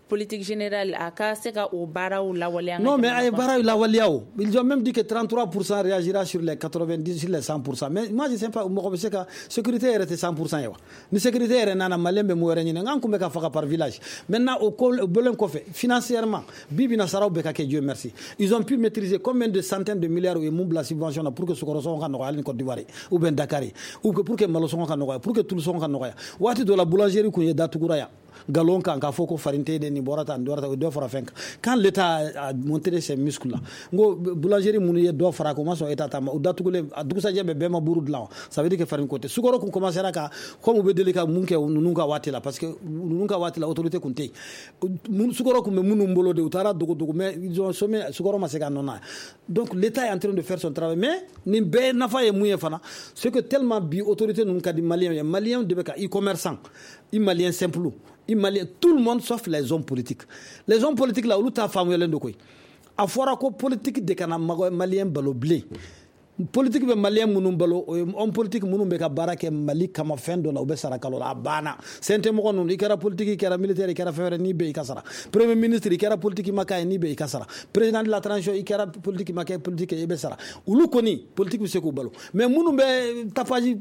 politique générale, a ka se ka o baaraw lawaleya? Non, mais a ye baaraw lawaleya o. Ils ont même dit que trente-trois pour cent réagira sur les quatre-vingt-dix, sur les cent pour cent. Mais moi je sais pas, mɔgɔ bɛ se ka sécurité yɛrɛ tɛ cent pour cent ye wa? Ni sécurité yɛrɛ nana, malien bɛ mun wɛrɛ ɲini? N kun bɛ ka faga par village. Maintenant o ko o bɔlen kɔfɛ, financièrement, bi bi na saraw bɛɛ ka kɛ, Dieu merci, ils ont pu maîtriser combien de centaines de milliards u ye mun bila subvention na pour que sukaro sɔngɔ ka nɔgɔya hali ni Côte d'Ivoire ou bien Dakar, ou que pour que malo sɔngɔ ka nɔgɔya, pour que tulu sɔngɔ ka nɔgɔya. Waati dɔ la boulangerie kun ye datugura yan galon kan k'a fɔ ko farine tɛ de, nin bɔra tan, nin bɔra tan, o ye dɔ fara fɛn kan. Quand l'État a montré ses muscles là, n ko boulangerie minnu ye dɔ fara kan, o ma sɔn État ta ma, o datugulen a dugusajɛ bɛɛ bɛɛ ma buru dilan. Ça veut dire que farine ko tɛ. Sukaro kun commencera ka comme u bɛ deli ka mun kɛ ninnu ka waati la, parce que ninnu ka waati la autorité kun tɛ yen, sukaro kun bɛ minnu bolo de, u taara dogo dogo, mais ils ont sommé, sukaro ma se ka nɔ na. Donc l'État est en train de faire son travail. Mais nin bɛɛ nafa ye mun ye fana, c'est que tellement bi autorité ninnu ka di malien ye, malien de bɛ ka i commerçant, i malien simple, i malien, tout le monde sauf les hommes politiques. Les hommes politiques là, olu t'a faamuyalen don koyi. A fɔra ko politique de kana malien balo bilen. Politique bɛ malien minnu balo, o ye homme politique minnu bɛ ka baara kɛ Mali kama fɛn dɔ la, u bɛ sara kalo la, a banna. C N T mɔgɔ ninnu, i kɛra politique, i kɛra militaire, i kɛra fɛn wɛrɛ, n'i bɛ i ka sara. Premier ministre, i kɛra politique ma k'a ye, n'i bɛ i ka sara. Président de la transition, i kɛra politique ma kɛ politique, i bɛ sara. Olu kɔni politique bɛ se k'u balo. Mais minnu bɛ tapage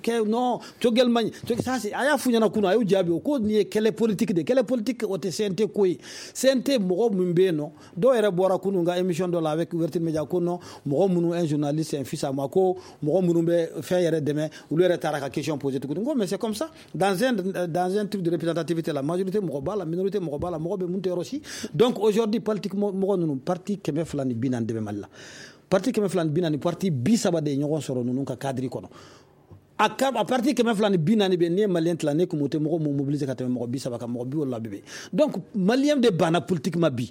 kɛ, non, Choguel man ɲi, ça c'est a y'a f'u ɲɛna kunun, a y'u jaabi o ko nin ye kɛlɛ politique de, kɛlɛ politique, o tɛ C N T ko ye. C N T mɔgɔ min bɛ yen nɔ, dɔw yɛrɛ bɔra kunun ka émission dɔ la avec Ouverture Média ko non, mɔgɔ minnu, un journaliste, un fils à moi, ko mɔgɔ minnu bɛ fɛn yɛrɛ dɛmɛ, olu yɛrɛ taara ka question poser tuguni. N ko mais c'est comme ça dans un dans un truc de représentativité, la majorité mɔgɔ b'a la, minorité mɔgɔ b'a la, mɔgɔ bɛ mun tɛ yɔrɔ si. Donc aujourd'hui politique mɔgɔ ninnu, parti kɛmɛ fila ni bi naani de bɛ Mali la, parti kɛmɛ fila ni bi naani, parti bi saba de ye ɲɔgɔn sɔrɔ ninnu ka cadre kɔnɔ. A ka a parti kɛmɛ fila ni bi naani bɛ, n'i ye malien tila, ne kun o tɛ mɔgɔ mun mobiliser ka tɛmɛ mɔgɔ bi saba kan, mɔgɔ bi wolonwula bɛ yen. Donc malien de banna politique ma bi.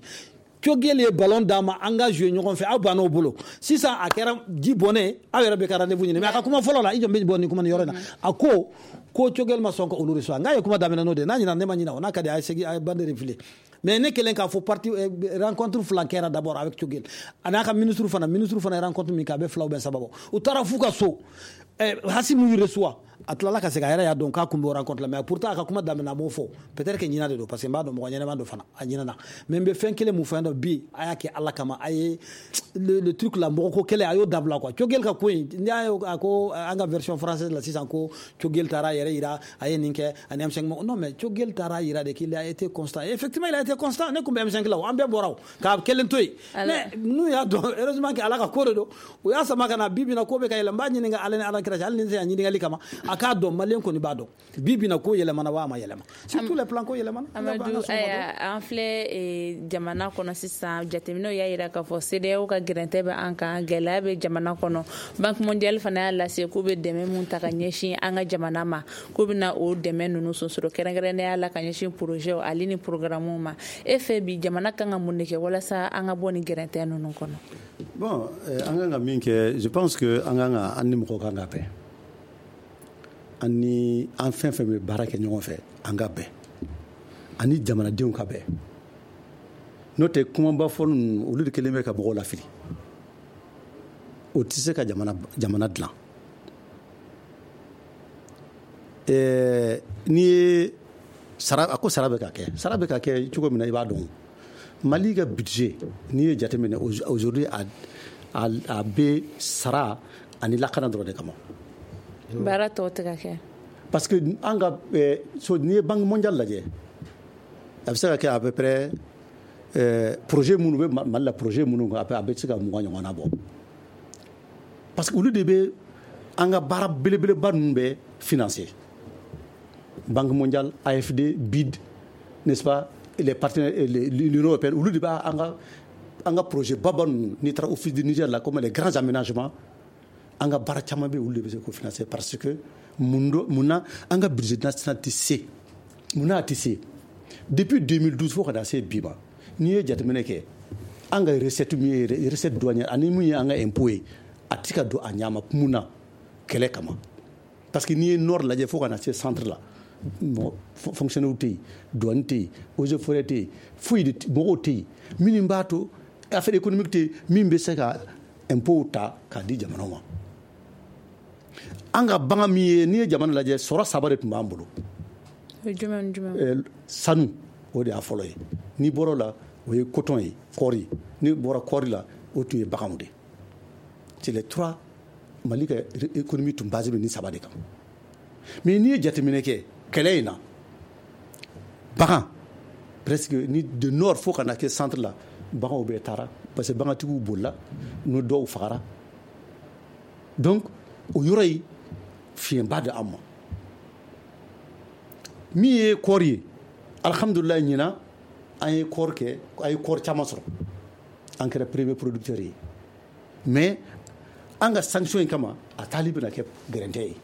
Choguel ye ballon d'a ma, an ka jouer ɲɔgɔn fɛ, aw banna o bolo. Sisan a kɛra ji bɔnnen, aw yɛrɛ bɛ ka rendez-vous ɲini. Mais a ka kuma fɔlɔ la, i jɔ bɛ bɔ nin kuma nin yɔrɔ in na, a ko ko Choguel ma sɔn ka olu reçoit. N k'a ye kuma daminɛ n'o de ye, n'a ɲinɛ ne ma ɲinɛ o, n'a ka di a ye segin a ye bande refilé. Mais ne kɛlen k'a fɔ parti rencontre fila kɛra d'abord avec Choguel, a n'a ka ministre fana, ministre fana ye rencontre min kɛ, a bɛ fila ou bien saba bɔ. U taara f'u ka so, Assimi y'u reçoit. A tilala ka segin, a yɛrɛ y'a dɔn k'a kun bɛ rencontre la, mais pourtant a ka kuma daminɛ, a m'o fɔ. Peut-être que ɲina de don, parce que n b'a dɔn mɔgɔ ɲɛnama don fana, a ɲinana. Mais n bɛ fɛn kelen mun fɔ yan nɔ bi, a y'a kɛ Ala kama, a ye le, le truc la, mɔgɔ ko kɛlɛ, a y'o dabila quoi. Choguel ka ko in, n'i y'a ye a ko an ka version française la sisan ko Choguel taara a yɛrɛ yira, a ye nin kɛ ani M cinq. Non, mais Choguel taara yira de qu'il a été constant. Et effectivement, il a été constant. Ne kun bɛ M cinq la o, an bɛɛ bɔra o k'a kelen to yen, mais n'u y'a dɔn, heureusement que Ala ka ko de don, u y'a sama ka na. Bi bi in na, ko bɛ ka yɛlɛ. N b'a ɲininka, Ala ni Ala kira cɛ, hali ni n tɛ a ɲininkali kama, a k'a dɔn, maliyɛn kɔni b'a dɔn, bi bi in na ko yɛlɛmana wa a ma yɛlɛma sur tous les plans, ko yɛlɛmana. Amadu, an filɛ jamana kɔnɔ sisan, jateminɛw y'a yira k'a fɔ CEDEAO ka gɛrɛntɛ bɛ an kan, gɛlɛya bɛ jamana kɔnɔ. Banque mondiale fana y'a lase k'u bɛ dɛmɛ mun ta ka ɲɛsin an ka jamana ma, k'u bɛna o dɛmɛ ninnu sonsoro kɛrɛnkɛrɛnnenya la ka ɲɛsin projet ale ni programme ma. E fɛ bi, jamana kan ka mun de kɛ walasa an ka bɔ nin gɛrɛntɛ ninnu kɔnɔ? Bon, an kan ka min kɛ, je pense que an kan ka, an ni mɔgɔw kan ka bɛn, an ni an fɛn fɛn bɛ baara kɛ ɲɔgɔn fɛ, an ka bɛn, ani jamanadenw ka bɛn. N'o tɛ, kumaba fɔ ninnu, olu de kelen bɛ ka mɔgɔw lafili. O tɛ se ka jamana jamana dilan. Ɛɛ n'i ye sara, a ko sara bɛ ka kɛ, sara bɛ ka kɛ cogo min na, i b'a dɔn Mali ka budget, n'i ye jateminɛ aujourd'hui, a a a bɛ sara ani lakana dɔrɔn de kama. Baara tɔw tɛ ka kɛ. Parce que an ka so, n'i ye Banque mondiale lajɛ, a bɛ se ka kɛ à peu près projet minnu bɛ Mali la, projet minnu, a bɛ se ka mugan ɲɔgɔnna bɔ, parce que olu de bɛ an ka baara belebeleba ninnu bɛ financer: Banque mondiale, A F D, B I D, n'est-ce pas, les partenaires, l'Union européenne. Olu de b'a an ka an ka projet baba ninnu. N'i taara Office du Niger la, comme les grands aménagements, an ka baara caman bɛ yen, olu de bɛ se k'o financer. Parce que mun do, mun na an ka budget national tɛ se, mun na a tɛ se depuis deux mille douze fo ka na se bi ma? N'i ye jateminɛ kɛ, an ka recette min ye recette douanière ani min ye an ka impôt ye, a tɛ ka don a ɲɛ ma. Mun na? Kɛlɛ kama. Parce que n'i ye nord lajɛ fo ka na se centre la, mɔgɔ fonctionnaire tɛ yen, douane tɛ yen, eaux et forêts tɛ yen, foyi de mɔgɔw tɛ yen minnu b'a to affaire économique tɛ yen min bɛ se ka impôt ta k'a di jamanaw ma. An ka bagan min ye, n'i ye jamana lajɛ, sɔrɔ saba de tun b'an bolo. Jumɛn ni jumɛn? Sanu, o de y'a fɔlɔ ye. N'i bɔra o la, o ye coton ye, kɔɔri. N'i bɔra kɔɔri la, o tun ye baganw de. C'est les trois. Mali ka économie tun basé bɛ nin saba de kan. Mais n'i ye jateminɛ kɛ kɛlɛ in na, bagan presque ni de nord fo ka na kɛ centre la, baganw bɛɛ taara, parce que bagantigiw bolila, n'o dɔw fagara. Donc o yɔrɔ ye fiɲɛba de an ma. Min ye kɔɔri ye, alhamdulilayi, ɲinan an ye kɔɔri kɛ, an ye kɔɔri caman sɔrɔ, an kɛra premier producteur ye. Mais an ka sanction in kama, a taali bɛna kɛ gɛrɛntɛ ye.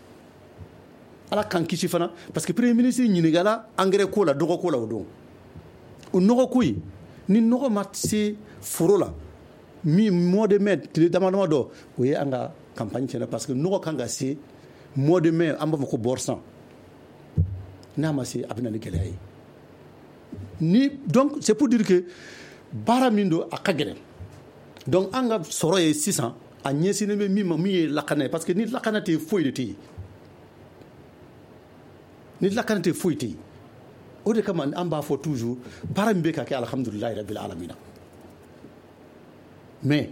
Ala k'an kisi fana, parce que premier ministre ɲininkala engrais ko la, dɔgɔ ko la. O don, o nɔgɔ ko in, ni nɔgɔ ma se foro la min mois de mai, tile dama dama dɔ, o ye an ka campagne tiɲɛna, parce que nɔgɔ kan ka se mois de mai, an b'a fɔ ko bɔrsan. N'a ma se, a bɛ na ni gɛlɛya ye. Ni donc c'est pour dire que baara min don, a ka gɛlɛn. Donc an ka sɔrɔ ye sisan, a ɲɛsinnen bɛ min ma, min ye lakana ye, parce que ni lakana tɛ yen, foyi de tɛ yen. Ni lakana tɛ, foyi tɛ yen. O de kama an b'a fɔ toujours, baara min bɛ ka kɛ, alhamdulilayi rabil alamina, mais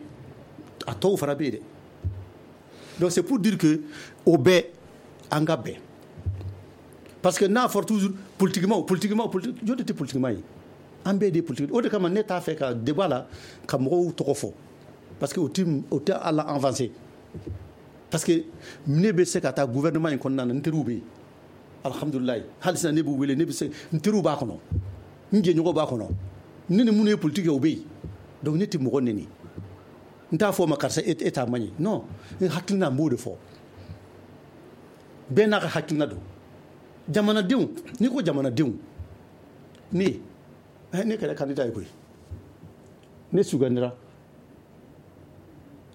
a tɔw fana bɛ yen dɛ. Donc c'est pour dire que o bɛɛ, an ka bɛn, parce que n'a fɔra toujours politiquement, politiquement, politique, jɔn de tɛ politiquement ye? An bɛɛ de ye politique. O de kama ne t'a fɛ ka débat la ka mɔgɔw tɔgɔ fɔ, parce que o ti o tɛ ala avancer. Parce que ne bɛ se ka taa gouvernement in kɔnɔna na, n teriw bɛ yen, alhamdulilayi, hali sisan ne b'u wele, ne bɛ se, n teriw b'a kɔnɔ, n jɛɲɔgɔnw b'a kɔnɔ, ne ni minnu ye politique kɛ, o bɛ yen. Donc ne tɛ mɔgɔ neni, n t'a fɔ o ma karisa e t'a man ɲi. Non, n hakilina, n b'o de fɔ. Bɛɛ n'a ka hakilina don. Jamanadenw, n'i ko jamanadenw, ne ne kɛra candidat ye koyi, ne sugandira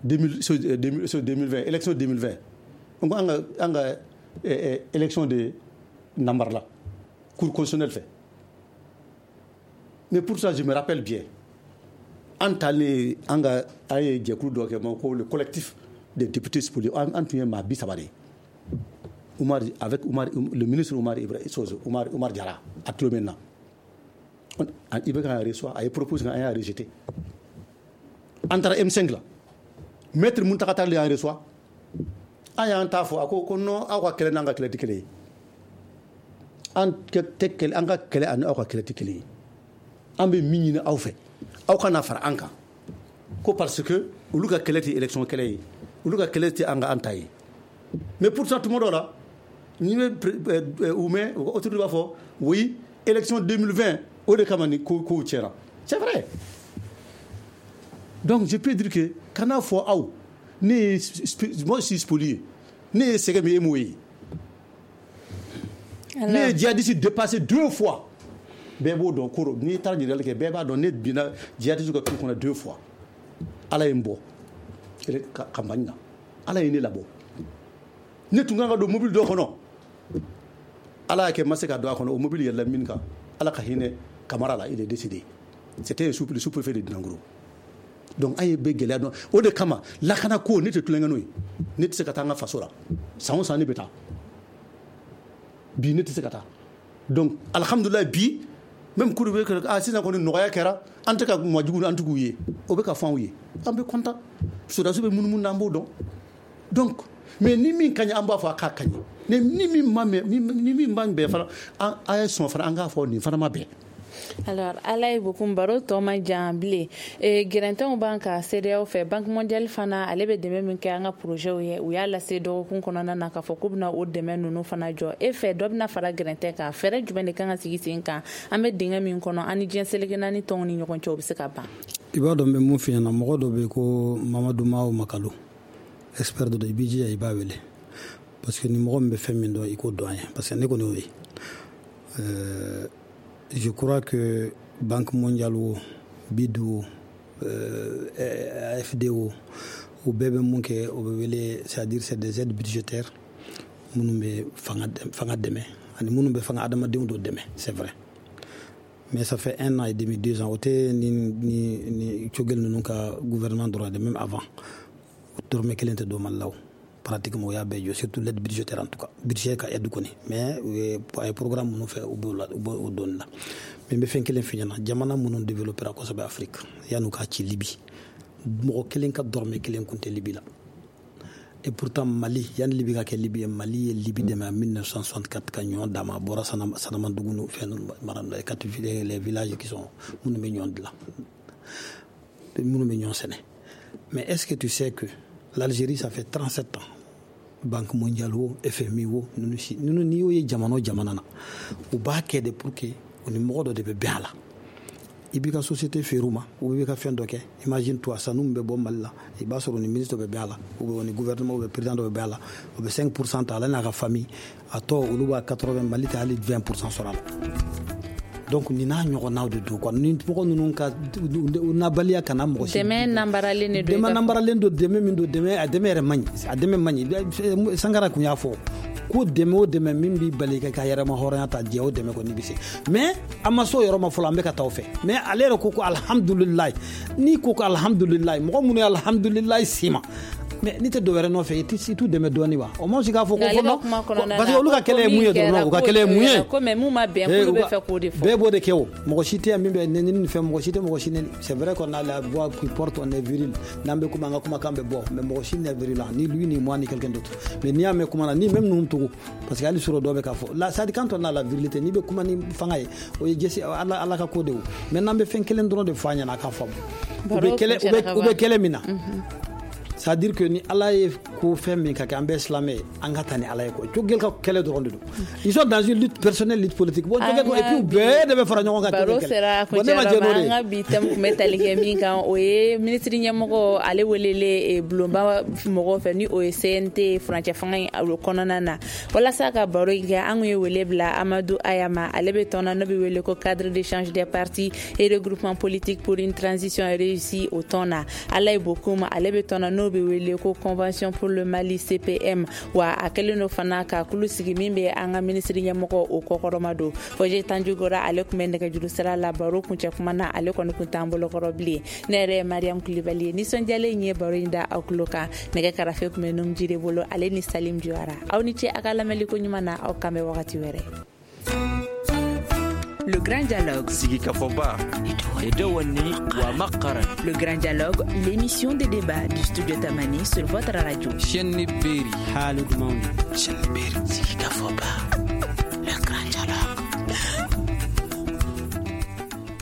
deux mille vingt, élection deux mille vingt. N ko an ka an ka élection de nambarala cour constitutionnelle fɛ. Mais pour ça, je me rappelle bien, an taalen, an ka an ye jɛkulu dɔ kɛ ma ko le collectif des députés spoliés, an tun ye maa bi saba de ye. Oumar avec Oumar le ministre Oumar Ibrahim Oumar Oumar Diarra a tulo bɛ n na. I B K y'a reçoit, a ye proposé an y'a rejeté. An taara M cinq la, maître Mountaga Tall y'an reçoit, an y'an ta fɔ, a ko ko non, aw ka kɛlɛ n'an ka kɛlɛ tɛ kelen ye, an tɛ kɛlɛ, an ka kɛlɛ ani aw ka kɛlɛ tɛ kelen ye, an bɛ min ɲini aw fɛ, aw kana fara an kan, ko parce que olu ka kɛlɛ tɛ élection kɛlɛ ye, olu ka kɛlɛ tɛ an ka an ta ye. Mais pourtant tuma dɔw la ni bɛ u mɛn, autorité b'a fɔ oui, élection deux mille vingt o de kama ni ko kow tiɲɛna. C'est vrai. Donc je peux dire que kana fɔ aw, ne ye, moi je suis spolié, ne ye sɛgɛn min e m'o ye, ne ye djihadiste dépassé deux fois, bɛɛ b'o dɔn koro, n'i taara ɲininkali kɛ bɛɛ b'a dɔn, ne binna djihadiste ka tu kɔnɔ deux fois, Ala ye n bɔ campagne na, Ala ye ne labɔ, ne tun kan ka don mobili dɔ kɔnɔ, Ala y'a kɛ n ma se ka don a kɔnɔ, o mobili yɛlɛla min kan, Ala ka hinɛ Kamara la, il est décédé, c'était le sous-préfet de Dinangoro. Donc an ye bɛɛ gɛlɛya dɔn, o de kama lakana ko ne tɛ tulonkɛ n'o ye, ne tɛ se ka taa n ka faso la, san o san ne bɛ taa, bi ne tɛ se ka taa. Donc alhamdulilayi bi même kuru bɛ kɛ, ah sisan kɔni nɔgɔya kɛra, an tɛ ka majugu an tigiw ye, o bɛ ka fɔ anw ye, an bɛ content, sɔrɔdasiw bɛ munumunu na, an b'o dɔn. Donc mais ni min ka ɲi an b'a fɔ a k'a ka ɲi, ni min ma mɛn, ni min ma bɛn fana, an a ye sɔn fana an k'a fɔ nin fana ma bɛn. Alors Alaye Bocoum, baro tɔ man jan bilen. Gɛrɛntɛnw b'an ka CEDEAO fɛ, Banque mondiale fana ale bɛ dɛmɛ min kɛ an ka projet ye, u y'a lase dɔgɔkun kɔnɔna na k'a fɔ k'u bɛna o dɛmɛ ninnu fana jɔ. E fɛ dɔ bɛna fara gɛrɛntɛn kan, fɛɛrɛ jumɛn de kan ka sigi sen kan an bɛ dingɛ min kɔnɔ an ni diɲɛ seleke naani tɔnw ni ɲɔgɔn cɛ, o bɛ se ka ban? I b'a dɔn n bɛ mun f'i ɲɛna, mɔgɔ dɔ bɛ yen ko Mamadu Mao Makalo, expert dɔ don, i b'i jija i b'a wele, parce que ni mɔgɔ min bɛ fɛn min dɔn i k'o dɔn an ye, parce que ne kɔni y'o ye. Je crois que Banque mondiale o, B I D o, euh, A F D o, u bɛɛ bɛ mun kɛ, o bɛ wele, c'est-à-dire c'est des aides budgétaires minnu bɛ fanga fanga dɛmɛ ani minnu bɛ fanga adamadenw dɔ dɛmɛ, c'est vrai. Mais ça fait un an et demi, deux ans, o tɛ ni ni ni Choguel ninnu ka gouvernement dɔrɔn de, même avant, dɔrɔmɛ kelen tɛ don Mali la o. Pratiquement o y'a bɛɛ jɔ, surtout l'aide budgétaire en tout cas, budget ka aide kɔni, mais u ye a ye programme minnu fɛ u b'o la, u b'o dɔnni la. Mais n bɛ fɛn kelen f'i ɲɛna, jamana minnu développera kosɛbɛ Afrique, yan'u k'a ci Libi, mɔgɔ kelen ka dɔrɔmɛ kelen kun tɛ Libi la. Et pourtant Mali, yanni Libi ka kɛ Libi ye, Mali ye Libi dɛmɛ en mille neuf cent soixante-quatre ka ɲɔ d'a ma, a bɔra Sanamadugu ni fɛn ninnu mara les quatre les villages qui sont minnu bɛ ɲɔ dilan, minnu bɛ ɲɔ sɛnɛ. Mais est-ce que tu sais que l'Algérie, ça fait trente-sept ans, Banque mondiale o, F M I o, ninnu si ninnu n'i y'o ye jamana o jamana na, u b'a kɛ de pour que u ni mɔgɔ dɔ de bɛ bɛn a la. I b'i ka société feere u ma, ou b'i ka fɛn dɔ kɛ. Imagine toi, sanu min bɛ bɔ Mali la, i b'a sɔrɔ ni ministre dɔ bɛ bɛn a la, ou bien ni gouvernement ou bien président dɔ bɛ bɛn a la, o bɛ cinq pour cent ta, ale n'a ka famille, a tɔ olu b'a quatre-vingts, Mali tɛ hali vingt pour cent sɔrɔ a la. Donc nin n'a ɲɔgɔnnaw de don quoi, ni mɔgɔ ninnu ka nabaliya kana mɔgɔ si. Dɛmɛ nanbaralen de don. Dɛmɛ nanbaralen don, dɛmɛ min don, dɛmɛ a dɛmɛ yɛrɛ man ɲi, a dɛmɛ man ɲi. Sankara kun y'a fɔ ko dɛmɛ o dɛmɛ min b'i bali ka ka yɛrɛma hɔrɔnya ta, jɛ o dɛmɛ kɔni bɛ se. Mais an ma s'o yɔrɔ ma fɔlɔ, an bɛ ka taa o fɛ. Mais ale yɛrɛ ko ko alhamdulilayi, n'i ko ko alhamdulilayi, mɔgɔ minnu ye alhamdulilayi s'i ma, mais n'i tɛ dɔ wɛrɛ nɔfɛ, i t'u dɛmɛ dɔɔni wa? O ma se k'a fɔ ko fɔlɔ, parce que olu ka kɛlɛ ye mun ye dɔrɔn, u ka kɛlɛ ye mun ye? Ko mais mun ma bɛn, k'olu bɛ fɛ k'o de fɔ. Bɛɛ b'o de kɛ o, mɔgɔ si tɛ yan min bɛ nɛni ni fɛn, mɔgɔ si tɛ mɔgɔ si nɛni. C'est vrai qu'on a la voix qui porte, on est viril, n'an bɛ kuma, an ka kumakan bɛ bɔ, mais mɔgɔ si n'est virulent, ni lui ni moi ni quelqu'un d'autre. Mais n'i y'a mɛn kuma na, ni même ninnu tugu, parce que hali sɔrɔ dɔ bɛ k'a fɔ la, c'est à dire quand on a la virilité, n'i bɛ kuma ni fanga ye, o ye jɛsi Ala Ala ka ko de ye o. Mais n'an bɛ fɛn kelen dɔrɔn de fɔ a ɲɛna, a k'a faamu. U bɛ kɛlɛ u bɛ kɛlɛ min na. C'est-à-dire que ni Ala ye ko fɛn min ka kɛ, an bɛɛ silamɛ ye, an ka taa ni Ala ye quoi. Choguel ka kɛlɛ dɔrɔn de don. Ils sont dans une lutte personnelle, lutte politique. Bon, Choguel et puis bɛɛ de bɛ fara ɲɔgɔn kan. Baro sera kuncɛyɔrɔ ma, an ka bi thème tun bɛ tali kɛ min kan, o ye minisiri ɲɛmɔgɔ ale welelen bulonba mɔgɔw fɛ, ni o ye C N T furancɛ fanga in kɔnɔna na. Walasa ka baro in kɛ, an kun ye wele bila Amadou Haya ma, ale bɛ tɔn na n'o bɛ wele ko cadre d'échange des partis et regroupement politique pour une transition réussie o tɔn na. Alaye Bocoum, ale bɛ tɔn na n'o bɛ wele ko convention pour le Mali C P M. Wa a kɛlen do fana ka kulu sigi min bɛ an ka minisiri ɲɛmɔgɔ o kɔkɔrɔma don. Fɔje Tanjugora, ale tun bɛ nɛgɛjuru sira la. Baro kuncɛ kuma na, ale kɔni kun t'an bolokɔrɔ bilen. Ne yɛrɛ ye Mariam Kulibali ye, nisɔndiyalen ye baro in da aw tulo kan. Nɛgɛ karafe tun bɛ Numujire bolo, ale ni Salim Juyara. Aw ni ce a ka lamɛnliko ɲuman na. Aw kan bɛ wagati wɛrɛ. Le Grand Dialogue. Sigikafɔba Le Grand Dialogue, l'émission de débat du studio Tamani sur votre radio. Chaîne Beri. Haaldu mawni. Chaîne Beri. Sigikafɔba.